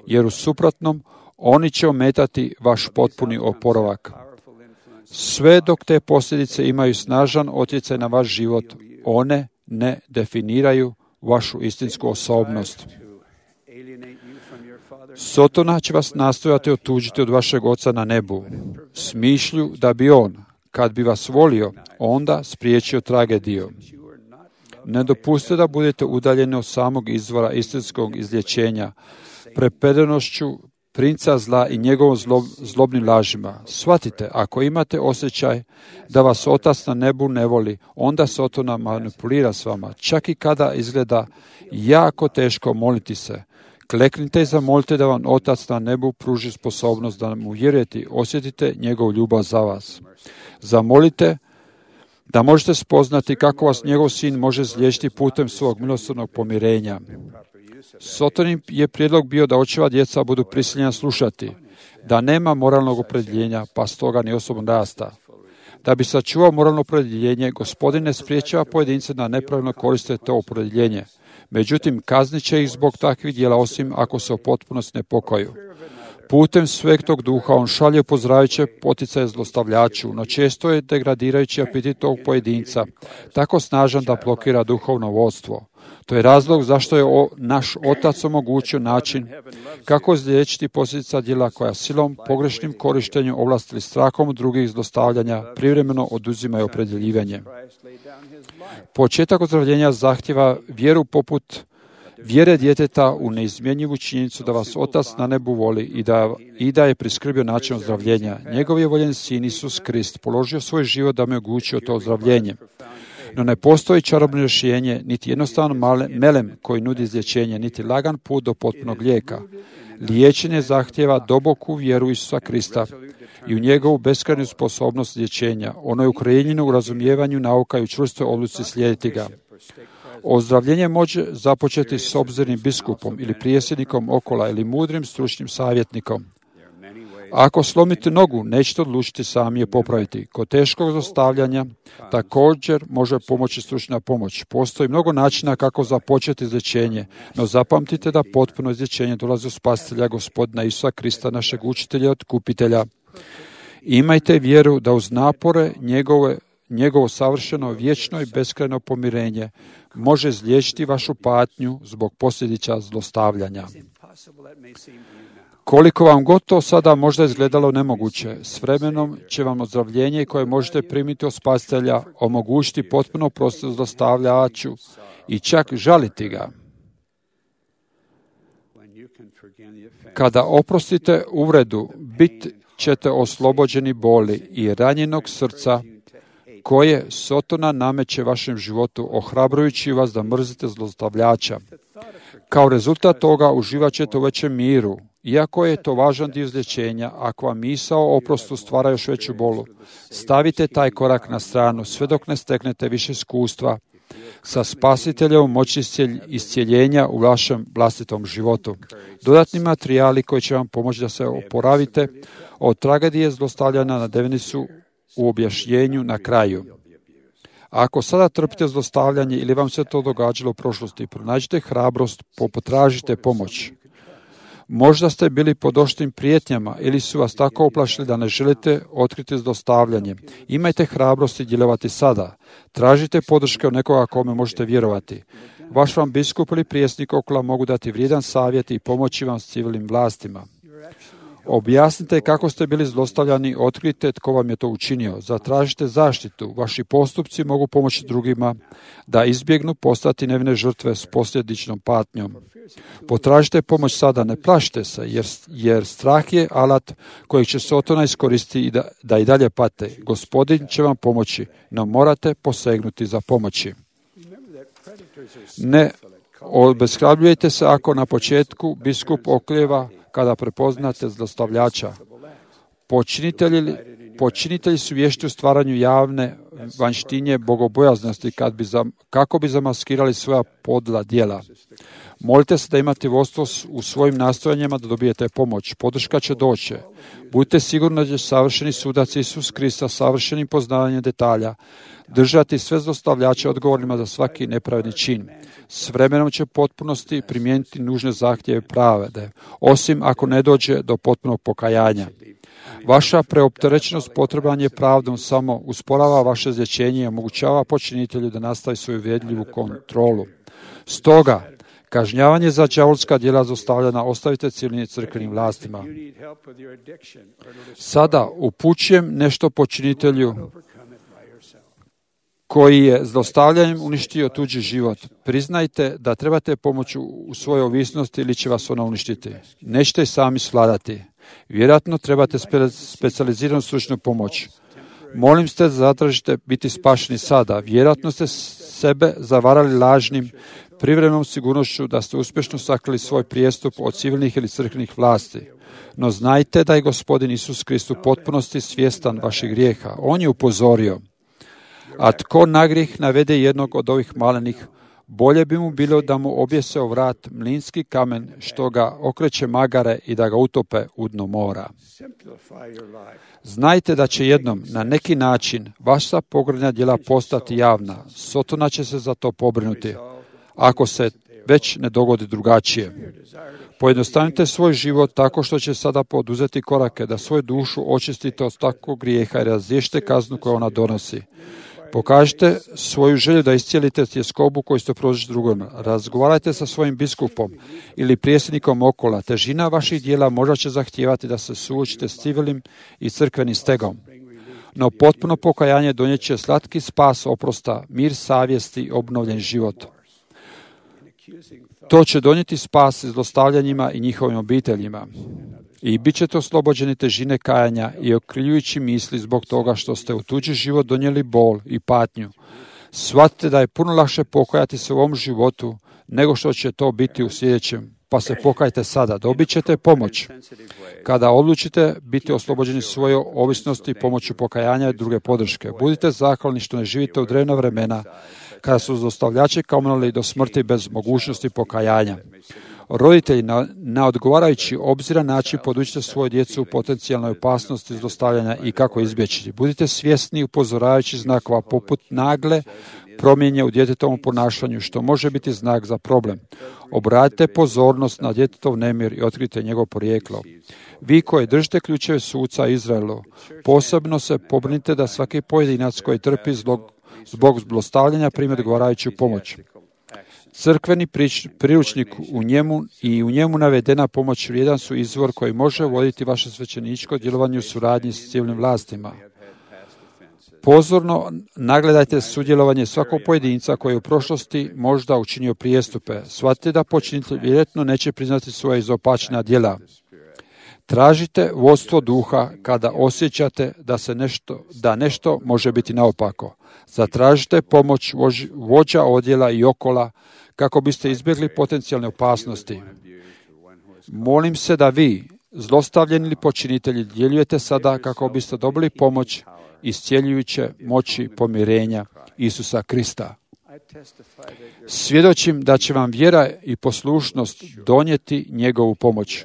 jer u suprotnom oni će ometati vaš potpuni oporavak. Sve dok te posljedice imaju snažan utjecaj na vaš život, one ne definiraju vašu istinsku osobnost. Sotona će vas nastojati otuđiti od vašeg Oca na nebu, s mišlju da bi on, kad bi vas volio, onda spriječio tragediju. Ne dopustite da budete udaljeni od samog izvora istinskog izlječenja, prepredenošću princa zla i njegovom zlobnim lažima. Shvatite, ako imate osjećaj da vas Otac na nebu ne voli, onda Sotona manipulira s vama, čak i kada izgleda jako teško moliti se. Kleknite i zamolite da vam Otac na nebu pruži sposobnost da mu vjerujete i osjetite njegovu ljubav za vas. Zamolite da možete spoznati kako vas njegov sin može izliječiti putem svog milosrdnog pomirenja. Sotonin je prijedlog bio da očeva djeca budu prisiljena slušati, da nema moralnog opredjeljenja, pa stoga ni osobnog rasta. Da bi sačuvao moralno opredjeljenje, Gospodin ne spriječava pojedince da nepravilno koriste to opredjeljenje. Međutim, kaznit će ih zbog takvih djela, osim ako se u potpunosti ne pokaju. Putem Svetog Duha on šalje upozorajuće poticaje zlostavljaču, no često je degradirajući apetit tog pojedinca, tako snažan da blokira duhovno vodstvo. To je razlog zašto je naš Otac omogućio način kako izliječiti posljedica djela koja silom, pogrešnim korištenjem ovlasti ili strahom drugih zlostavljanja privremeno oduzimaju opredjeljivanje. Početak ozdravljenja zahtjeva vjeru poput vjere djeteta u neizmjenjivu činjenicu da vas Otac na nebu voli i da je priskrbio način ozdravljenja. Njegov je voljen sin Isus Krist položio svoj život da mi omogućio to ozdravljenje. No ne postoji čarobno rješenje, niti jednostavan melem koji nudi izlječenje, niti lagan put do potpunog lijeka. Liječenje zahtjeva duboku vjeru Isusa Krista i u njegovu beskrajnu sposobnost liječenja. Ono je ukorijenjeno u razumijevanju nauka i u čvrstoj odluci slijediti ga. Ozdravljenje može započeti s obzirnim biskupom ili prijesednikom okola ili mudrim stručnim savjetnikom. Ako slomite nogu, nećete odlučiti sami je popraviti. Kod teškog zlostavljanja također može pomoći stručna pomoć. Postoji mnogo načina kako započeti izlječenje, no zapamtite da potpuno izlječenje dolazi od Spasitelja Gospodina Isusa Krista, našeg učitelja i otkupitelja. Imajte vjeru da uz napore njegovo savršeno, vječno i beskrajno pomirenje može izliječiti vašu patnju zbog posljedica zlostavljanja. Koliko vam god to sada možda izgledalo nemoguće, s vremenom će vam ozdravljenje koje možete primiti od Spasitelja omogućiti potpuno oprost zlostavljaču i čak žaliti ga. Kada oprostite uvredu, bit ćete oslobođeni boli i ranjenog srca koje Sotona nameće vašem životu, ohrabrujući vas da mrzite zlostavljača. Kao rezultat toga uživat ćete u većem miru. Iako je to važan dio izlječenja, ako vam misao o oprostu stvara još veću bolu, stavite taj korak na stranu sve dok ne steknete više iskustva sa Spasiteljevom moći iscijeljenja u vašem vlastitom životu. Dodatni materijali koji će vam pomoći da se oporavite od tragedije zlostavljanja navedeni su u objašnjenju na kraju. Ako sada trpite zlostavljanje ili vam se to događalo u prošlosti, pronađite hrabrost, potražite pomoć. Možda ste bili pod oštrim prijetnjama ili su vas tako uplašili da ne želite otkriti zlostavljanje. Imajte hrabrosti djelovati sada. Tražite podrške od nekoga kome možete vjerovati. Vaš vam biskup ili prijesnik okolo mogu dati vrijedan savjet i pomoći vam s civilnim vlastima. Objasnite kako ste bili zlostavljani, otkrijte tko vam je to učinio. Zatražite zaštitu. Vaši postupci mogu pomoći drugima da izbjegnu postati nevine žrtve s posljedičnom patnjom. Potražite pomoć sada, ne plašite se, jer strah je alat kojeg će Sotona iskoristiti da i dalje pate. Gospodin će vam pomoći, no morate posegnuti za pomoći. Ne obeshrabljujte se ako na početku biskup oklijeva kada prepoznate zlostavljača. Počinitelji su vješti u stvaranju javne vanjštinje bogobojaznosti kako bi zamaskirali svoja podla djela. Molite se da imate vodstvo u svojim nastojanjima da dobijete pomoć. Podrška će doći. Budite sigurni da će savršeni sudac Isus Krista savršenim poznavanjem detalja držati sve zlostavljače odgovornima za svaki nepravedni čin. S vremenom će potpunosti primijeniti nužne zahtjeve pravde, osim ako ne dođe do potpunog pokajanja. Vaša preopterećenost potrebanje pravdom samo usporava vaše izlječenje i omogućava počinitelju da nastavi svoju uvredljivu kontrolu. Stoga, kažnjavanje za đavolska djela zlostavljanja ostavite civilnim crkvenim vlastima. Sada upućujem nešto počinitelju koji je zlostavljanjem uništio tuđi život. Priznajte da trebate pomoć u svojoj ovisnosti ili će vas ona uništiti. Nećete i sami svladati. Vjerojatno trebate specijaliziranu stručnu pomoć. Molim ste, zatražite biti spašeni sada. Vjerojatno ste sebe zavarali lažnim privremenom sigurnošću da ste uspješno sakrili svoj prijestup od civilnih ili crkvenih vlasti. No znajte da je Gospodin Isus Krist u potpunosti svjestan vaših grijeha. On je upozorio. A tko na grijeh navede jednog od ovih malenih, bolje bi mu bilo da mu objese o vrat mlinski kamen što ga okreće magare i da ga utope u dno mora. Znajte da će jednom na neki način vaša pogrdna djela postati javna. Sotona će se za to pobrinuti, ako se već ne dogodi drugačije. Pojednostavite svoj život tako što će sada poduzeti korake da svoju dušu očistite od takvog grijeha i razriješite kaznu koju ona donosi. Pokažite svoju želju da iscijelite tjeskobu koju ste prožili drugima. Razgovarajte sa svojim biskupom ili prijesednikom okola. Težina vaših djela možda će zahtijevati da se suočite s civilnim i crkvenim stegom. No potpuno pokajanje donijet će slatki spas oprosta, mir savjesti i obnovljen život. To će donijeti spas zlostavljanjima i njihovim obiteljima. I bit ćete oslobođeni težine kajanja i okrivljujući misli zbog toga što ste u tuđi život donijeli bol i patnju. Shvatite da je puno lakše pokajati se u ovom životu nego što će to biti u sljedećem. Pa se pokajte sada, dobit ćete pomoć. Kada odlučite biti oslobođeni svoje ovisnosti pomoću pokajanja i druge podrške, budite zahvalni što ne živite u drevna vremena kada su zlostavljači kamonili do smrti bez mogućnosti pokajanja. Roditelji na odgovarajući obziran način podučite svoju djecu u potencijalnoj opasnosti zlostavljanja i kako izbjeći. Budite svjesni upozoravajući znakova poput nagle promjene u djetetovom ponašanju, što može biti znak za problem. Obratite pozornost na djetetov nemir i otkrite njegovo porijeklo. Vi koji držite ključeve suca Izraelu, posebno se pobrinite da svaki pojedinac koji trpi zbog zlostavljanja primi odgovarajuću pomoć. Crkveni priručnik u njemu navedena pomoć vrijedan su izvor koji može voditi vaše svećeničko djelovanje u suradnji s civilnim vlastima. Pozorno nagledajte sudjelovanje svakog pojedinca koji je u prošlosti možda učinio prijestupe. Shvatite da počinitelj vjerojatno neće priznati svoja izopačena djela. Tražite vodstvo duha kada osjećate da nešto može biti naopako. Zatražite pomoć vođa odjela i okola kako biste izbjegli potencijalne opasnosti. Molim se da vi, zlostavljeni ili počinitelji, djeljujete sada kako biste dobili pomoć iscjeljujuće moći pomirenja Isusa Krista. Svjedočim da će vam vjera i poslušnost donijeti njegovu pomoć.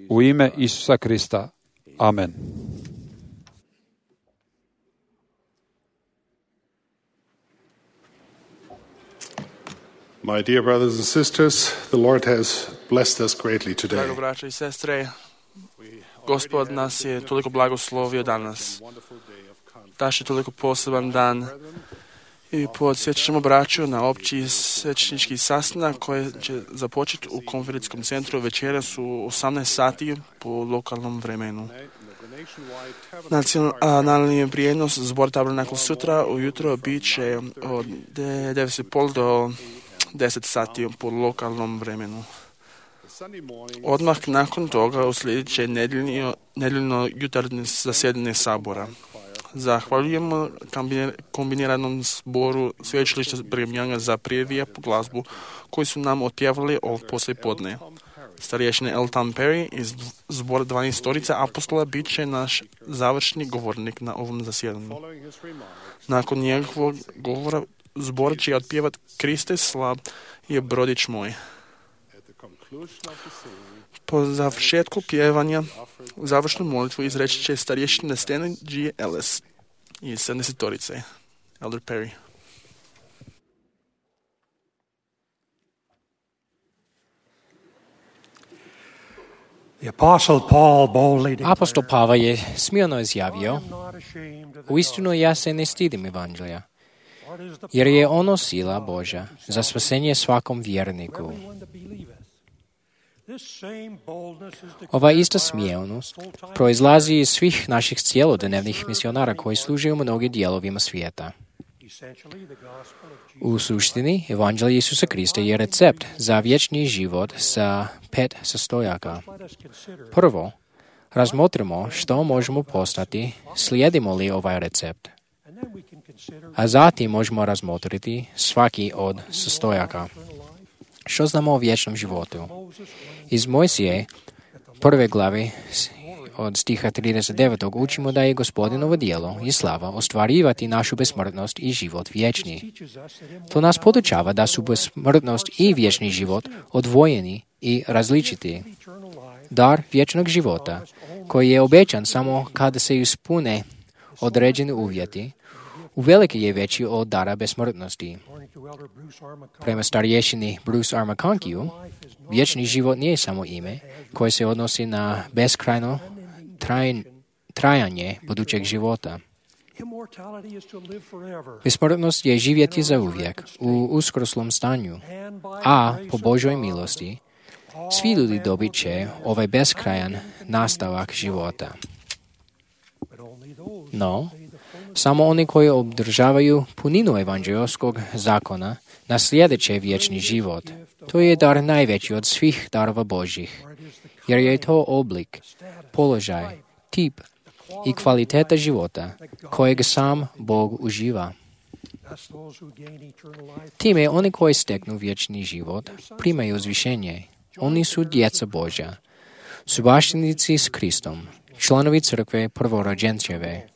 U ime Isusa Krista. Amen. My dear brothers and sisters, the Lord has blessed us greatly today. Drago braće i sestre, Gospod nas je toliko blagoslovio danas. Daš je toliko poseban dan I podsjećat ćemo braću na opći svećnički sastanak koji će započeti u konferencijskom centru večeras u 18 sati po lokalnom vremenu. Nacionalni prijenos Zbor Tabernakl sutra ujutro bit će od 9:30 do 10 sati po lokalnom vremenu. Odmah nakon toga uslijedit će nedjeljno jutarnje zasjedanje sabora. Zahvaljujemo kombiniranom zboru sveučilišta Brigham za prijevijepu glazbu koju su nam otpjevali ovog poslijepodne. Starješine L. Tom Perry iz zbora 12 apostola bit će naš završni govornik na ovom zasjedanju. Nakon njegovog govora zbor će otpjevati Kriste slab je brodić moj. Po završetku pjevanja završnu molitvu izreći će starješina Stanley G. Ellis iz 70-torice. Elder Perry. Apostol Pavao je smilno izjavio: uistinu ja se ne stidim evanđelja, jer je ono sila Božja za spasenje svakom vjerniku. Ova ista smjelnost proizlazi iz svih naših cjelodnevnih misionara koji služe u mnogim dijelovima svijeta. U suštini, evanđelje Isusa Krista je recept za vječni život sa 5 sastojaka. Prvo, razmotrimo što možemo postati, slijedimo li ovaj recept. A zatim možemo razmotriti svaki od sastojaka. Što znamo o vječnom životu? Iz Mojsije, prve glave od stiha 39. učimo da je Gospodinovo djelo i slava ostvarivati našu besmrtnost i život vječni. To nas podučava da su besmrtnost i vječni život odvojeni i različiti. Dar vječnog života, koji je obećan samo kada se ispune određeni uvjeti, uvelike je veći od dara besmrtnosti. Prema starješini Bruce R. McConkie, vječni život nije samo ime koje se odnosi na beskrajno trajanje budućeg života. Besmrtnost je živjeti za uvijek u uskroslom stanju, a po Božoj milosti svi ljudi dobit će ovaj beskrajan nastavak života. No, samo oni koji obdržavaju puninu evanđeoskog zakona naslijedit će vječni život. To je dar najveći od svih darova Božjih, jer je to oblik, položaj, tip i kvaliteta života kojeg sam Bog uživa. Time oni koji steknu vječni život primaju uzvišenje. Oni su djeca Božja, subaštinici s Kristom, članovi crkve prvorođenčeve.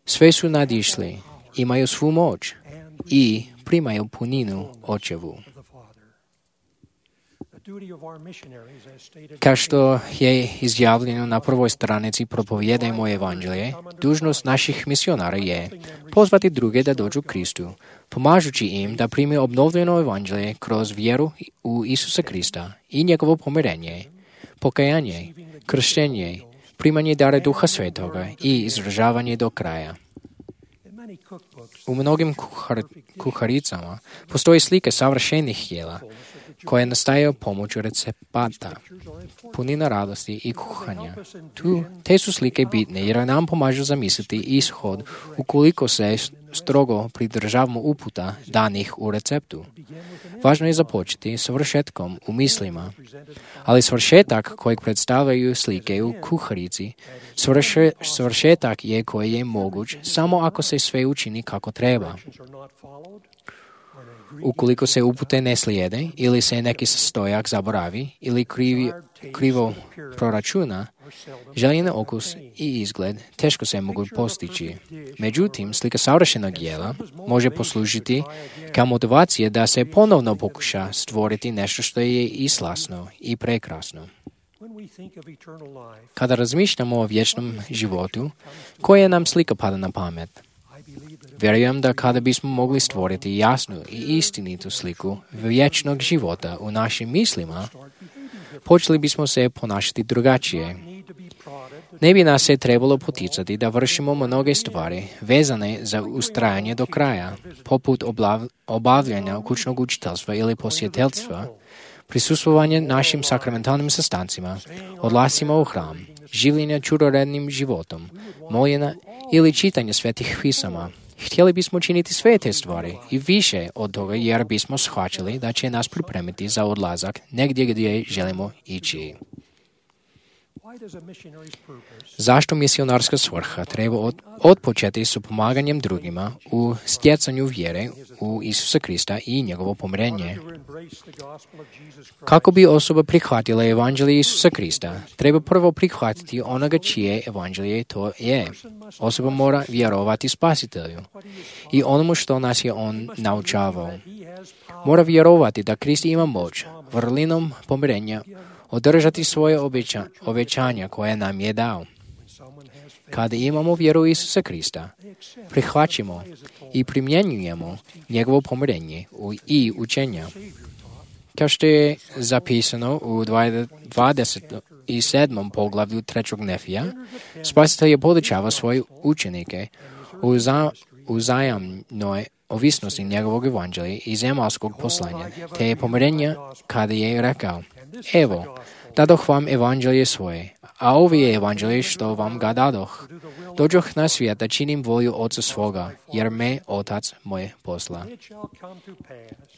Sve su nadišli, imaju svu moć i primaju puninu očevu. Kao što je izjavljeno na prvoj stranici Propovijedajmo evanđelje, dužnost naših misionara je pozvati druge da dođu Kristu, pomažući im da prime obnovljeno evanđelje kroz vjeru u Isusa Krista i njegovo pomirenje, pokajanje, krštenje, primanje dara Duha Svetoga i izražavanje do kraja. U mnogim kuharicama postoji slike savršenih jela koje nastaju pomoću recepata, punina radosti i kuhanja. Te su slike bitne jer nam pomažu zamisliti ishod ukoliko se strogo pridržavamo uputa danih u receptu. Važno je započeti s vršetkom u mislima, ali svršetak kojeg predstavljaju slike u kuharici, svršetak je koji je moguć samo ako se sve učini kako treba. Ukoliko se upute ne slijede ili se neki sastojak zaboravi ili krivo proračuna, željeni okus i izgled teško se mogu postići. Međutim, slika savršenog jela može poslužiti kao motivacija da se ponovno pokuša stvoriti nešto što je i slasno i prekrasno. Kada razmišljamo o vječnom životu, koja nam slika pada na pamet? Vjerujem da kada bismo mogli stvoriti jasnu i istinitu sliku vječnog života u našim mislima, počeli bismo se ponašati drugačije. Ne bi nas se trebalo poticati da vršimo mnoge stvari vezane za ustrajanje do kraja, poput obavljanja kućnog učiteljstva ili posjetiteljstva, prisustvovanje našim sakramentalnim sastancima, odlascima u hram, življenja čudorednim životom, moljenja ili čitanje svetih pisama. Htjeli bismo činiti sve te stvari i više od toga jer bismo shvaćali da će nas pripremiti za odlazak negdje gdje želimo ići. Zašto misionarska svrha treba odpočeti s pomaganjem drugima u stjecanju vjere u Isusa Krista i njegovo pomirenje? Kako bi osoba prihvatila evanđelje Isusa Krista, treba prvo prihvatiti onoga čije evanđelje to je. Osoba mora vjerovati Spasitelju i onomu što nas je on naučavao. Mora vjerovati da Krist ima moć vrlinom pomirenja održati svoje obećanja koje nam je dao. Kada imamo vjeru u Isusa Krista, prihvaćamo i primjenjujemo njegovo pomirenje i učenja. Kao što je zapisano u 27. poglavlju 3. Nefija, Spasitelj je podučavao svoje učenike u uzajamnoj ovisnosti njegovog evanđelja i zemaljskog poslanja, te je pomirenja kada je rekao: Evo, dadoh vam evanđelje svoje, a ovo je evanđelje što vam ga dadoh. Dođoh na svijet da činim volju Oca svoga, jer me Otac moj posla.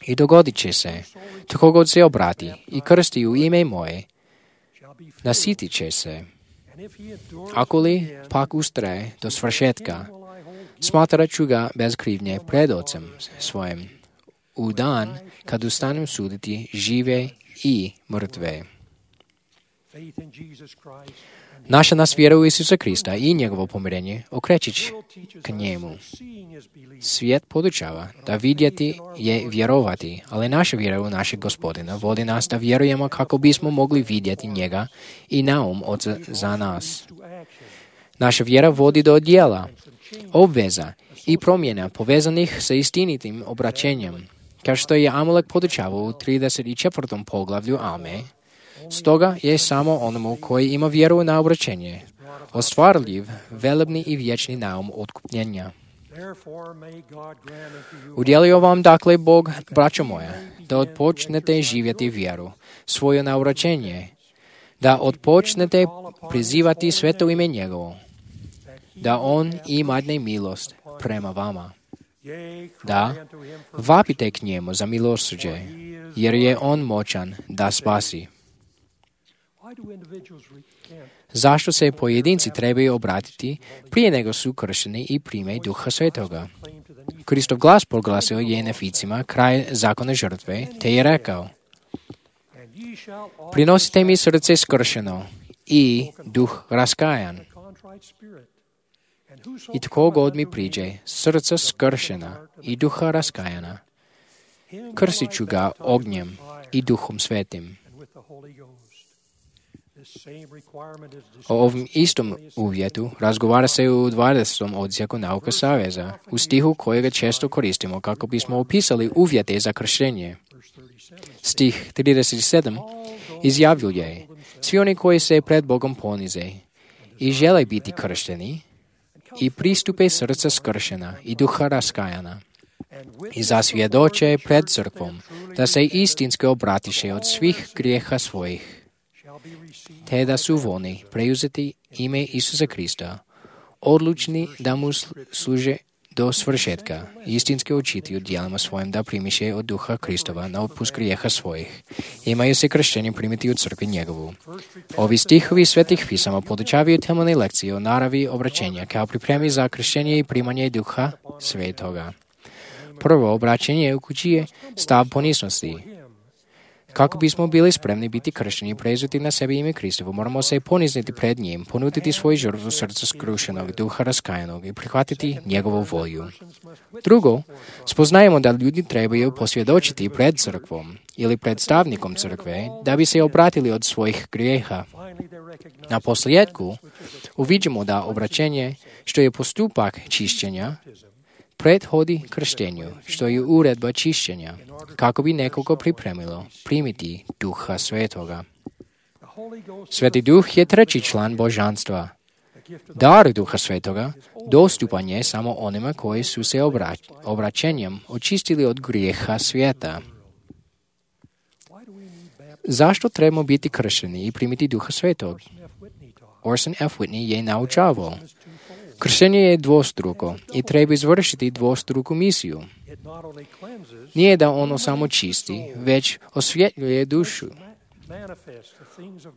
I dogodit će se, tko god se obrati i krsti u ime moje, nasitit će se. Ako li pak ustraje do svršetka, smatrat ću ga bez krivnje pred Ocem svojim, u dan kad ustanem suditi žive i mrtve. Naša nas vjera u Isusa Krista i njegovo pomirenje okrećić k njemu. Svijet podučava da vidjeti je vjerovati, ali naša vjera u našeg Gospodina vodi nas da vjerujemo kako bismo mogli vidjeti njega i naum Oca za nas. Naša vjera vodi do djela, obveza i promjena povezanih sa istinitim obraćenjem, kao što je Amalek podučavao u 34. poglavlju Alme. Stoga je samo onomu koji ima vjeru na obraćenje ostvarljiv, velebni i vječni naum otkupljenja. Udjelio vam dakle Bog, braćo moja, da odpočnete živjeti vjeru, svoje na obraćenje, da odpočnete prizivati sveto ime njegovo, da on imadne milost prema vama, da vapite k njemu za milosrđe, jer je on moćan da spasi. Zašto se pojedinci trebaju obratiti prije nego su kršteni i prime Duha Svetoga? Kristov glas proglasio je Neficima kraj zakona žrtve, te je rekao: Prinosite mi srce skršeno i duh raskajan. I tko god mi priđe, srca skršena i duha raskajana, krstit ću ga ognjem i Duhom Svetim. O ovom istom uvjetu razgovara se u 20. odsjeku Nauka Saveza, u stihu kojega često koristimo kako bismo opisali uvjete za krštenje. Stih 37 izjavljuje: Svi oni koji se pred Bogom ponize i žele biti kršteni i pristupe srca skršena i duha raskajana i zasvjedoče pred crkvom da se istinski obratiše od svih grijeha svojih, te da su voljni preuzeti ime Isusa Krista, odlučni da mu služe do svršetka, istinski učiti u djelima svojim da primiše od Duha Kristova na otpust grijeha svojih. Imaju se kršćeni primiti u crkvi njegovu. Ovi stihovi svetih pisama podučavaju temeljne lekcije o naravi obraćenja kao pripremi za kršćenje i primanje Duha Svetoga. Prvo obraćenje uključuje stav poniznosti. Kako bismo bili spremni biti kršteni i preuzeti na sebi ime Kristovo, moramo se ponizniti pred njim, ponuditi svoju žrtvu srca skrušenog, duha raskajanog i prihvatiti njegovu volju. Drugo, spoznajemo da ljudi trebaju posvjedočiti pred crkvom ili predstavnikom crkve da bi se obratili od svojih grijeha. Na posljedku uviđamo da obraćenje, što je postupak čišćenja, prethodi krštenju, što je uredba čišćenja, kako bi nekoga pripremilo primiti Duha Svetoga. Sveti Duh je treći član božanstva. Dar Duha Svetoga dostupan je samo onima koji su se obraćenjem očistili od grijeha svijeta. Zašto trebamo biti kršteni i primiti Duha Svetog? Orson F. Whitney je naučavao. Krštenje je dvostruko i treba izvršiti dvostruku misiju. Nije da ono samo čisti, već osvjetljuje dušu.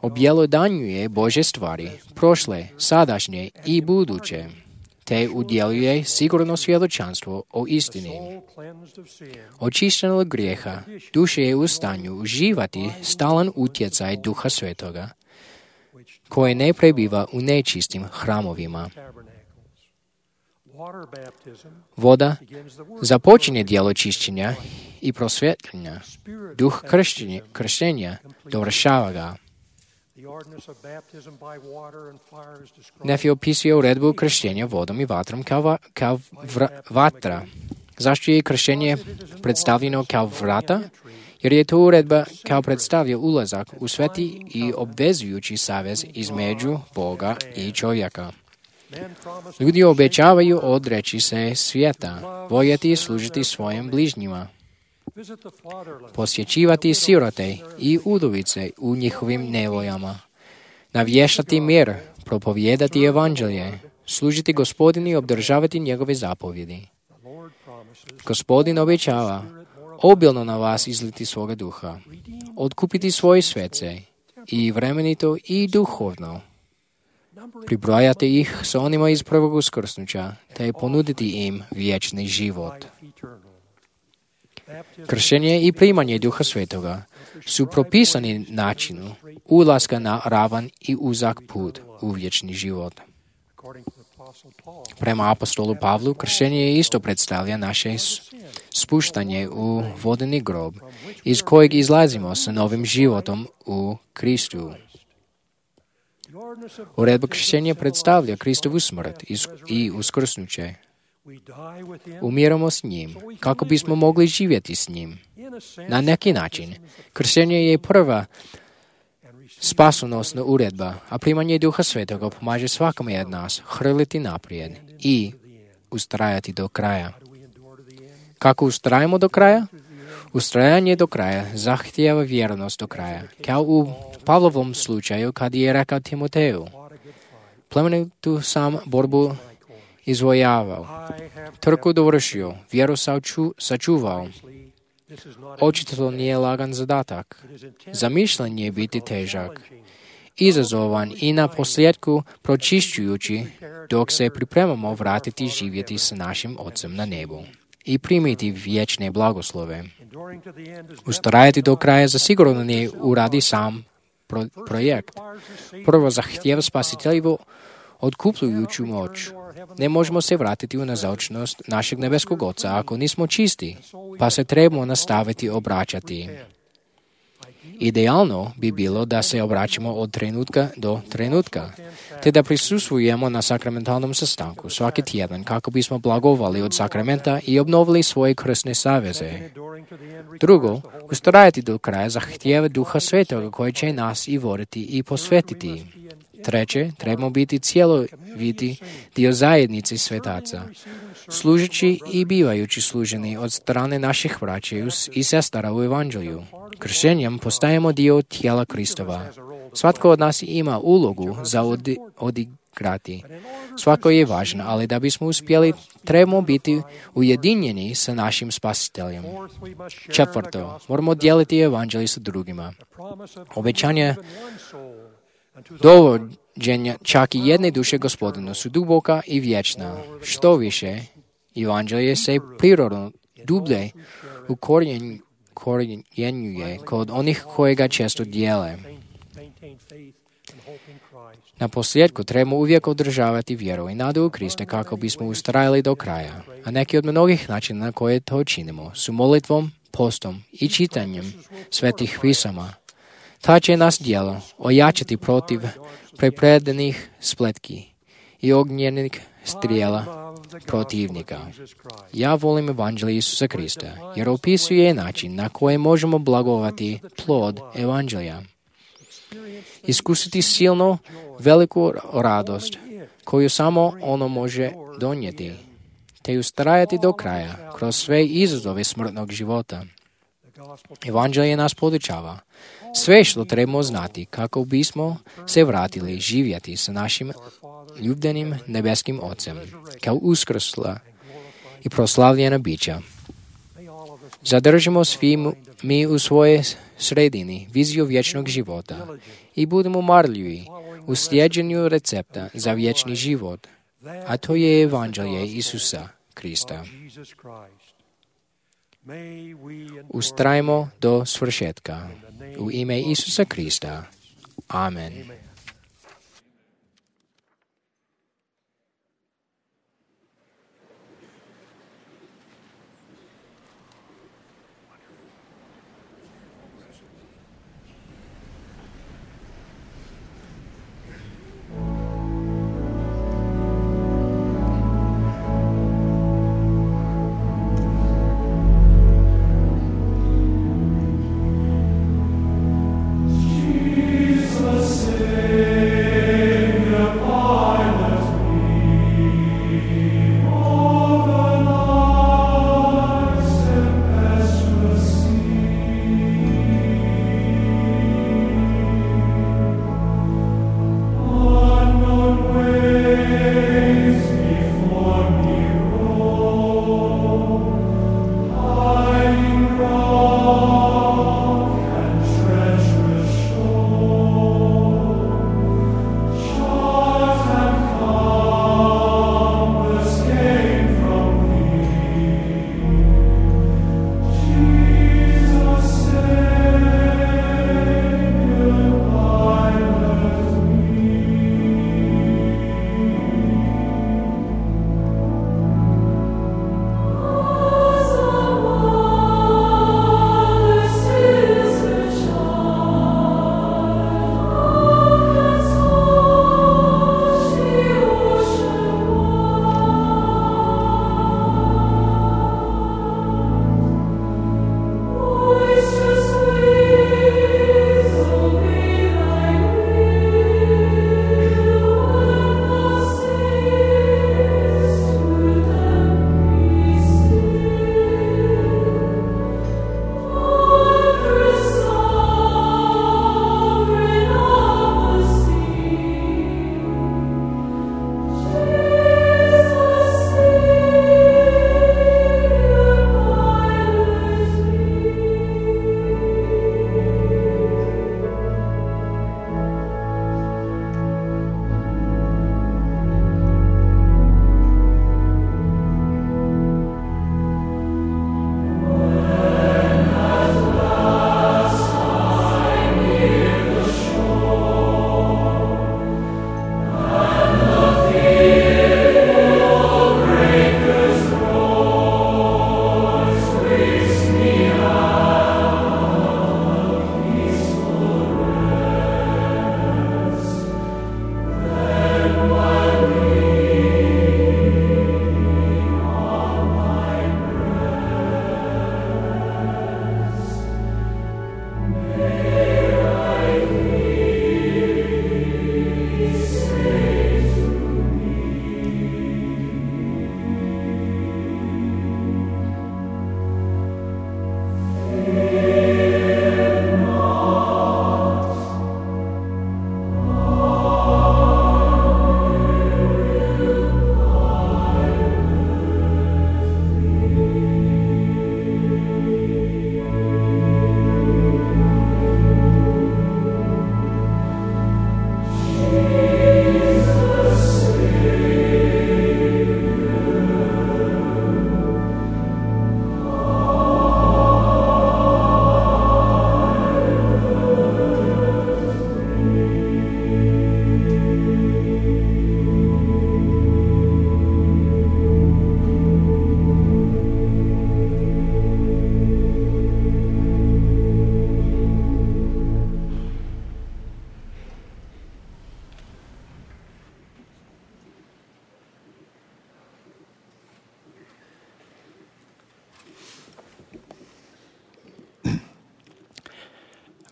Objelodanjuje Božje stvari, prošle, sadašnje i buduće, te udjeljuje sigurno svjedočanstvo o istini. Očišćen od grijeha, duša je u stanju uživati stalan utjecaj Duha Svetoga, koji ne prebiva u nečistim hramovima. Voda započinje djelo čišćenja i prosvjetljenja. Duh krštenja dovršava ga. Nefi opisuje uredbu krštenja vodom i vatrom kao vatra. Zašto je krštenje predstavljeno kao vrata? Jer je to uredba kao predstavlja ulazak u sveti i obvezujući savez između Boga i čovjeka. Ljudi obećavaju odreći se svijeta, voljeti i služiti svojim bližnjima, posjećivati sirote i udovice u njihovim nevoljama, navještati mir, propovijedati evanđelje, služiti Gospodinu i obdržavati njegove zapovjedi. Gospodin obećava obilno na vas izliti svoga duha, otkupiti svoje svece i vremenito i duhovno, pribrojati ih s onima iz prvog uskrsnuća, te ponuditi im vječni život. Kršenje i primanje Duha Svetoga su propisani načinu ulaska na ravan i uzak put u vječni život. Prema apostolu Pavlu, kršenje isto predstavlja naše spuštanje u vodeni grob, iz kojeg izlazimo sa novim životom u Kristu. Uredba krštenja predstavlja Kristovu smrt i uskrsnuće. Umiramo s njim, kako bismo mogli živjeti s njim. Na neki način, krštenje je prva spasonosna uredba, a primanje Duha Svetoga pomaže svakome od nas hrliti naprijed i ustrajati do kraja. Kako ustrajamo do kraja? Ustrajanje do kraja zahtijeva vjernost do kraja, kao u Pavlovom slučaju kad je rekao Timoteju: plemenitu sam borbu izvojavao, trku dovršio, vjeru sačuvao. Očito to nije lagan zadatak. Zamišljen je biti težak, izazovan i na posljedku pročišćujući, dok se pripremamo vratiti živjeti s našim Otcem na nebu i primiti vječne blagoslove. Ustrajati do kraja zasigurno ne uradi sam projekt. Prvo zahtijeva spasiteljivu otkupljujuću moć. Ne možemo se vratiti u nazočnost našeg nebeskog Oca ako nismo čisti, pa se trebamo nastaviti obraćati. Idealno bi bilo da se obraćamo od trenutka do trenutka, te da prisustvujemo na sakramentalnom sastanku svaki tjedan kako bismo blagovali od sakramenta i obnovili svoje krstne saveze. Drugo, ustrajati do kraja zahtijeva Duha Svetoga koji će nas i voditi i posvetiti. Treće, trebamo biti cjeloviti dio zajednice svetaca, služeći i bivajući služeni od strane naših braća i sestara u evanđelju. Kršenjem postajemo dio tijela Kristova. Svatko od nas ima ulogu za odigrati. Svako je važno, ali da bismo uspjeli, trebamo biti ujedinjeni sa našim spasiteljem. Četvrto, moramo dijeliti evanđelje sa drugima. Obećanje dovođenja čak i jedne duše Gospodinu su duboka i vječna. Što više, evanđelje se prirodno dublje ukorjenjuje kod onih koji ga često dijele. Na posljedku trebamo uvijek održavati vjeru i nadu u Krista kako bismo ustrajali do kraja, a neki od mnogih načina na koje to činimo su molitvom, postom i čitanjem svetih pisama. Ta će nas djelo ojačati protiv prepredenih spletki i ognjenih strijela protivnika. Ja volim evanđelje Isusa Krista, jer opisuje način na koji možemo blagovati plod evanđelja. Iskusiti silno veliku radost koju samo ono može donijeti, te ustrajati do kraja kroz sve izazove smrtnog života. Evanđelje nas podučava sve što trebamo znati kako bismo se vratili živjeti sa našim ljubljenim nebeskim Ocem, kao uskrsla i proslavljena bića. Zadržimo svi mi u svojoj sredini viziju vječnog života i budemo marljivi u slijeđenju recepta za vječni život, a to je Evanđelje Isusa Krista. Ustrajmo do svršetka. U ime Isusa Krista. Amen.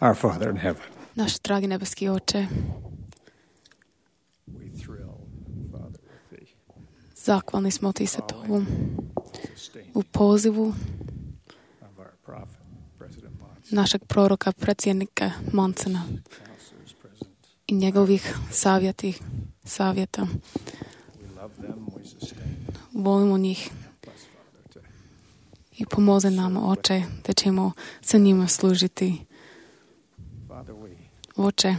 Our Father in heaven. Naš dragi nebeski Oče, Zahvalni smo ti se tomu u pozivu našeg proroka, predsjednika Monsena i njegovih savjeta. Volimo njih i pomozi nam, Oče, da ćemo sa njima služiti. Oče,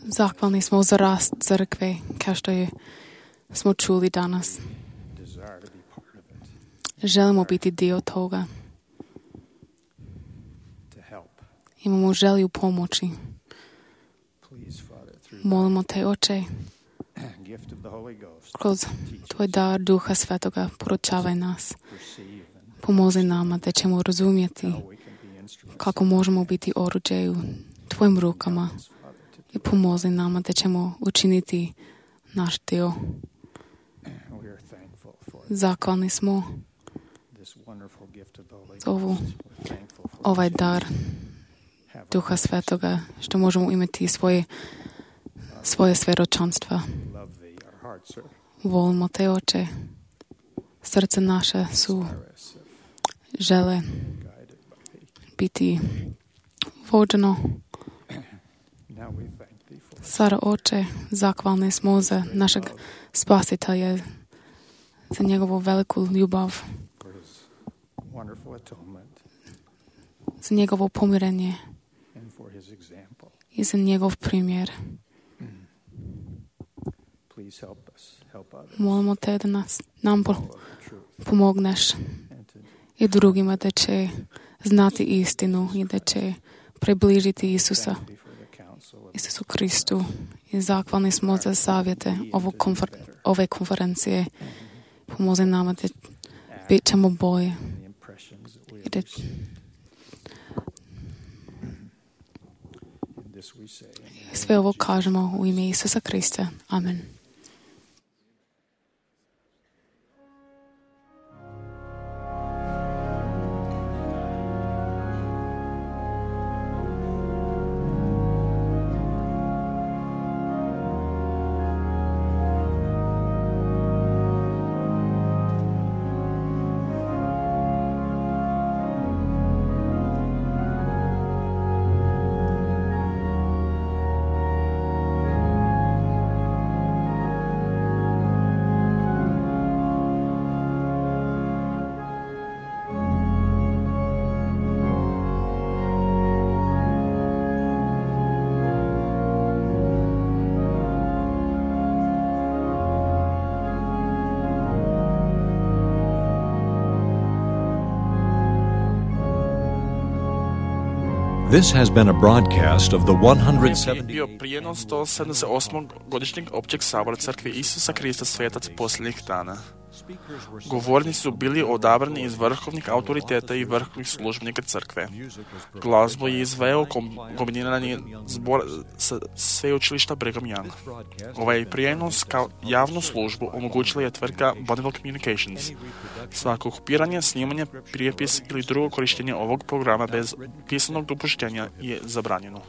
zahvalni smo za rast crkve, kao što smo čuli danas. Želimo biti dio toga. Imamo želju pomoći. Molimo te, Oče, kroz tvoj dar Duha Svetoga poručavaj nas. Pomozi nama da ćemo razumjeti kako možemo biti oruđe u tvojim rukama i pomozi nama da ćemo učiniti naš dio. Zahvalni smo za ovaj dar Duha Svetoga, što možemo imati svoje svjedočanstva. Volimo te, Oče. Srce naše žele biti vođeno. Sada, Oče, zahvalni smo za našeg Spasitelja, za njegovu veliku ljubav, za njegovo pomirenje i za njegov primjer. Molimo te da nam pomogneš i drugima da će znati istinu i da će približiti Isusu Kristu. I zahvalni smo za savjete ove konferencije. Pomozi nama da bit ćemo bolje. I da sve ovo kažemo u ime Isusa Krista. Amen. This has been a broadcast of the 170th bio prijenos 178. godišnjeg općeg sabora Crkve Isusa Krista Svetac posljednjih dana. Govornici su bili odabrani iz vrhovnih autoriteta i vrhovnih službenika crkve. Glazbu je izveo kombinirani zbor sa sveučilišta Brigham Young. Ovaj prijenos kao javnu službu omogućila je tvrtka Bonneville Communications. Svako kopiranje, snimanje, prijepis ili drugo korištenje ovog programa bez pisanog dopuštenja je zabranjeno.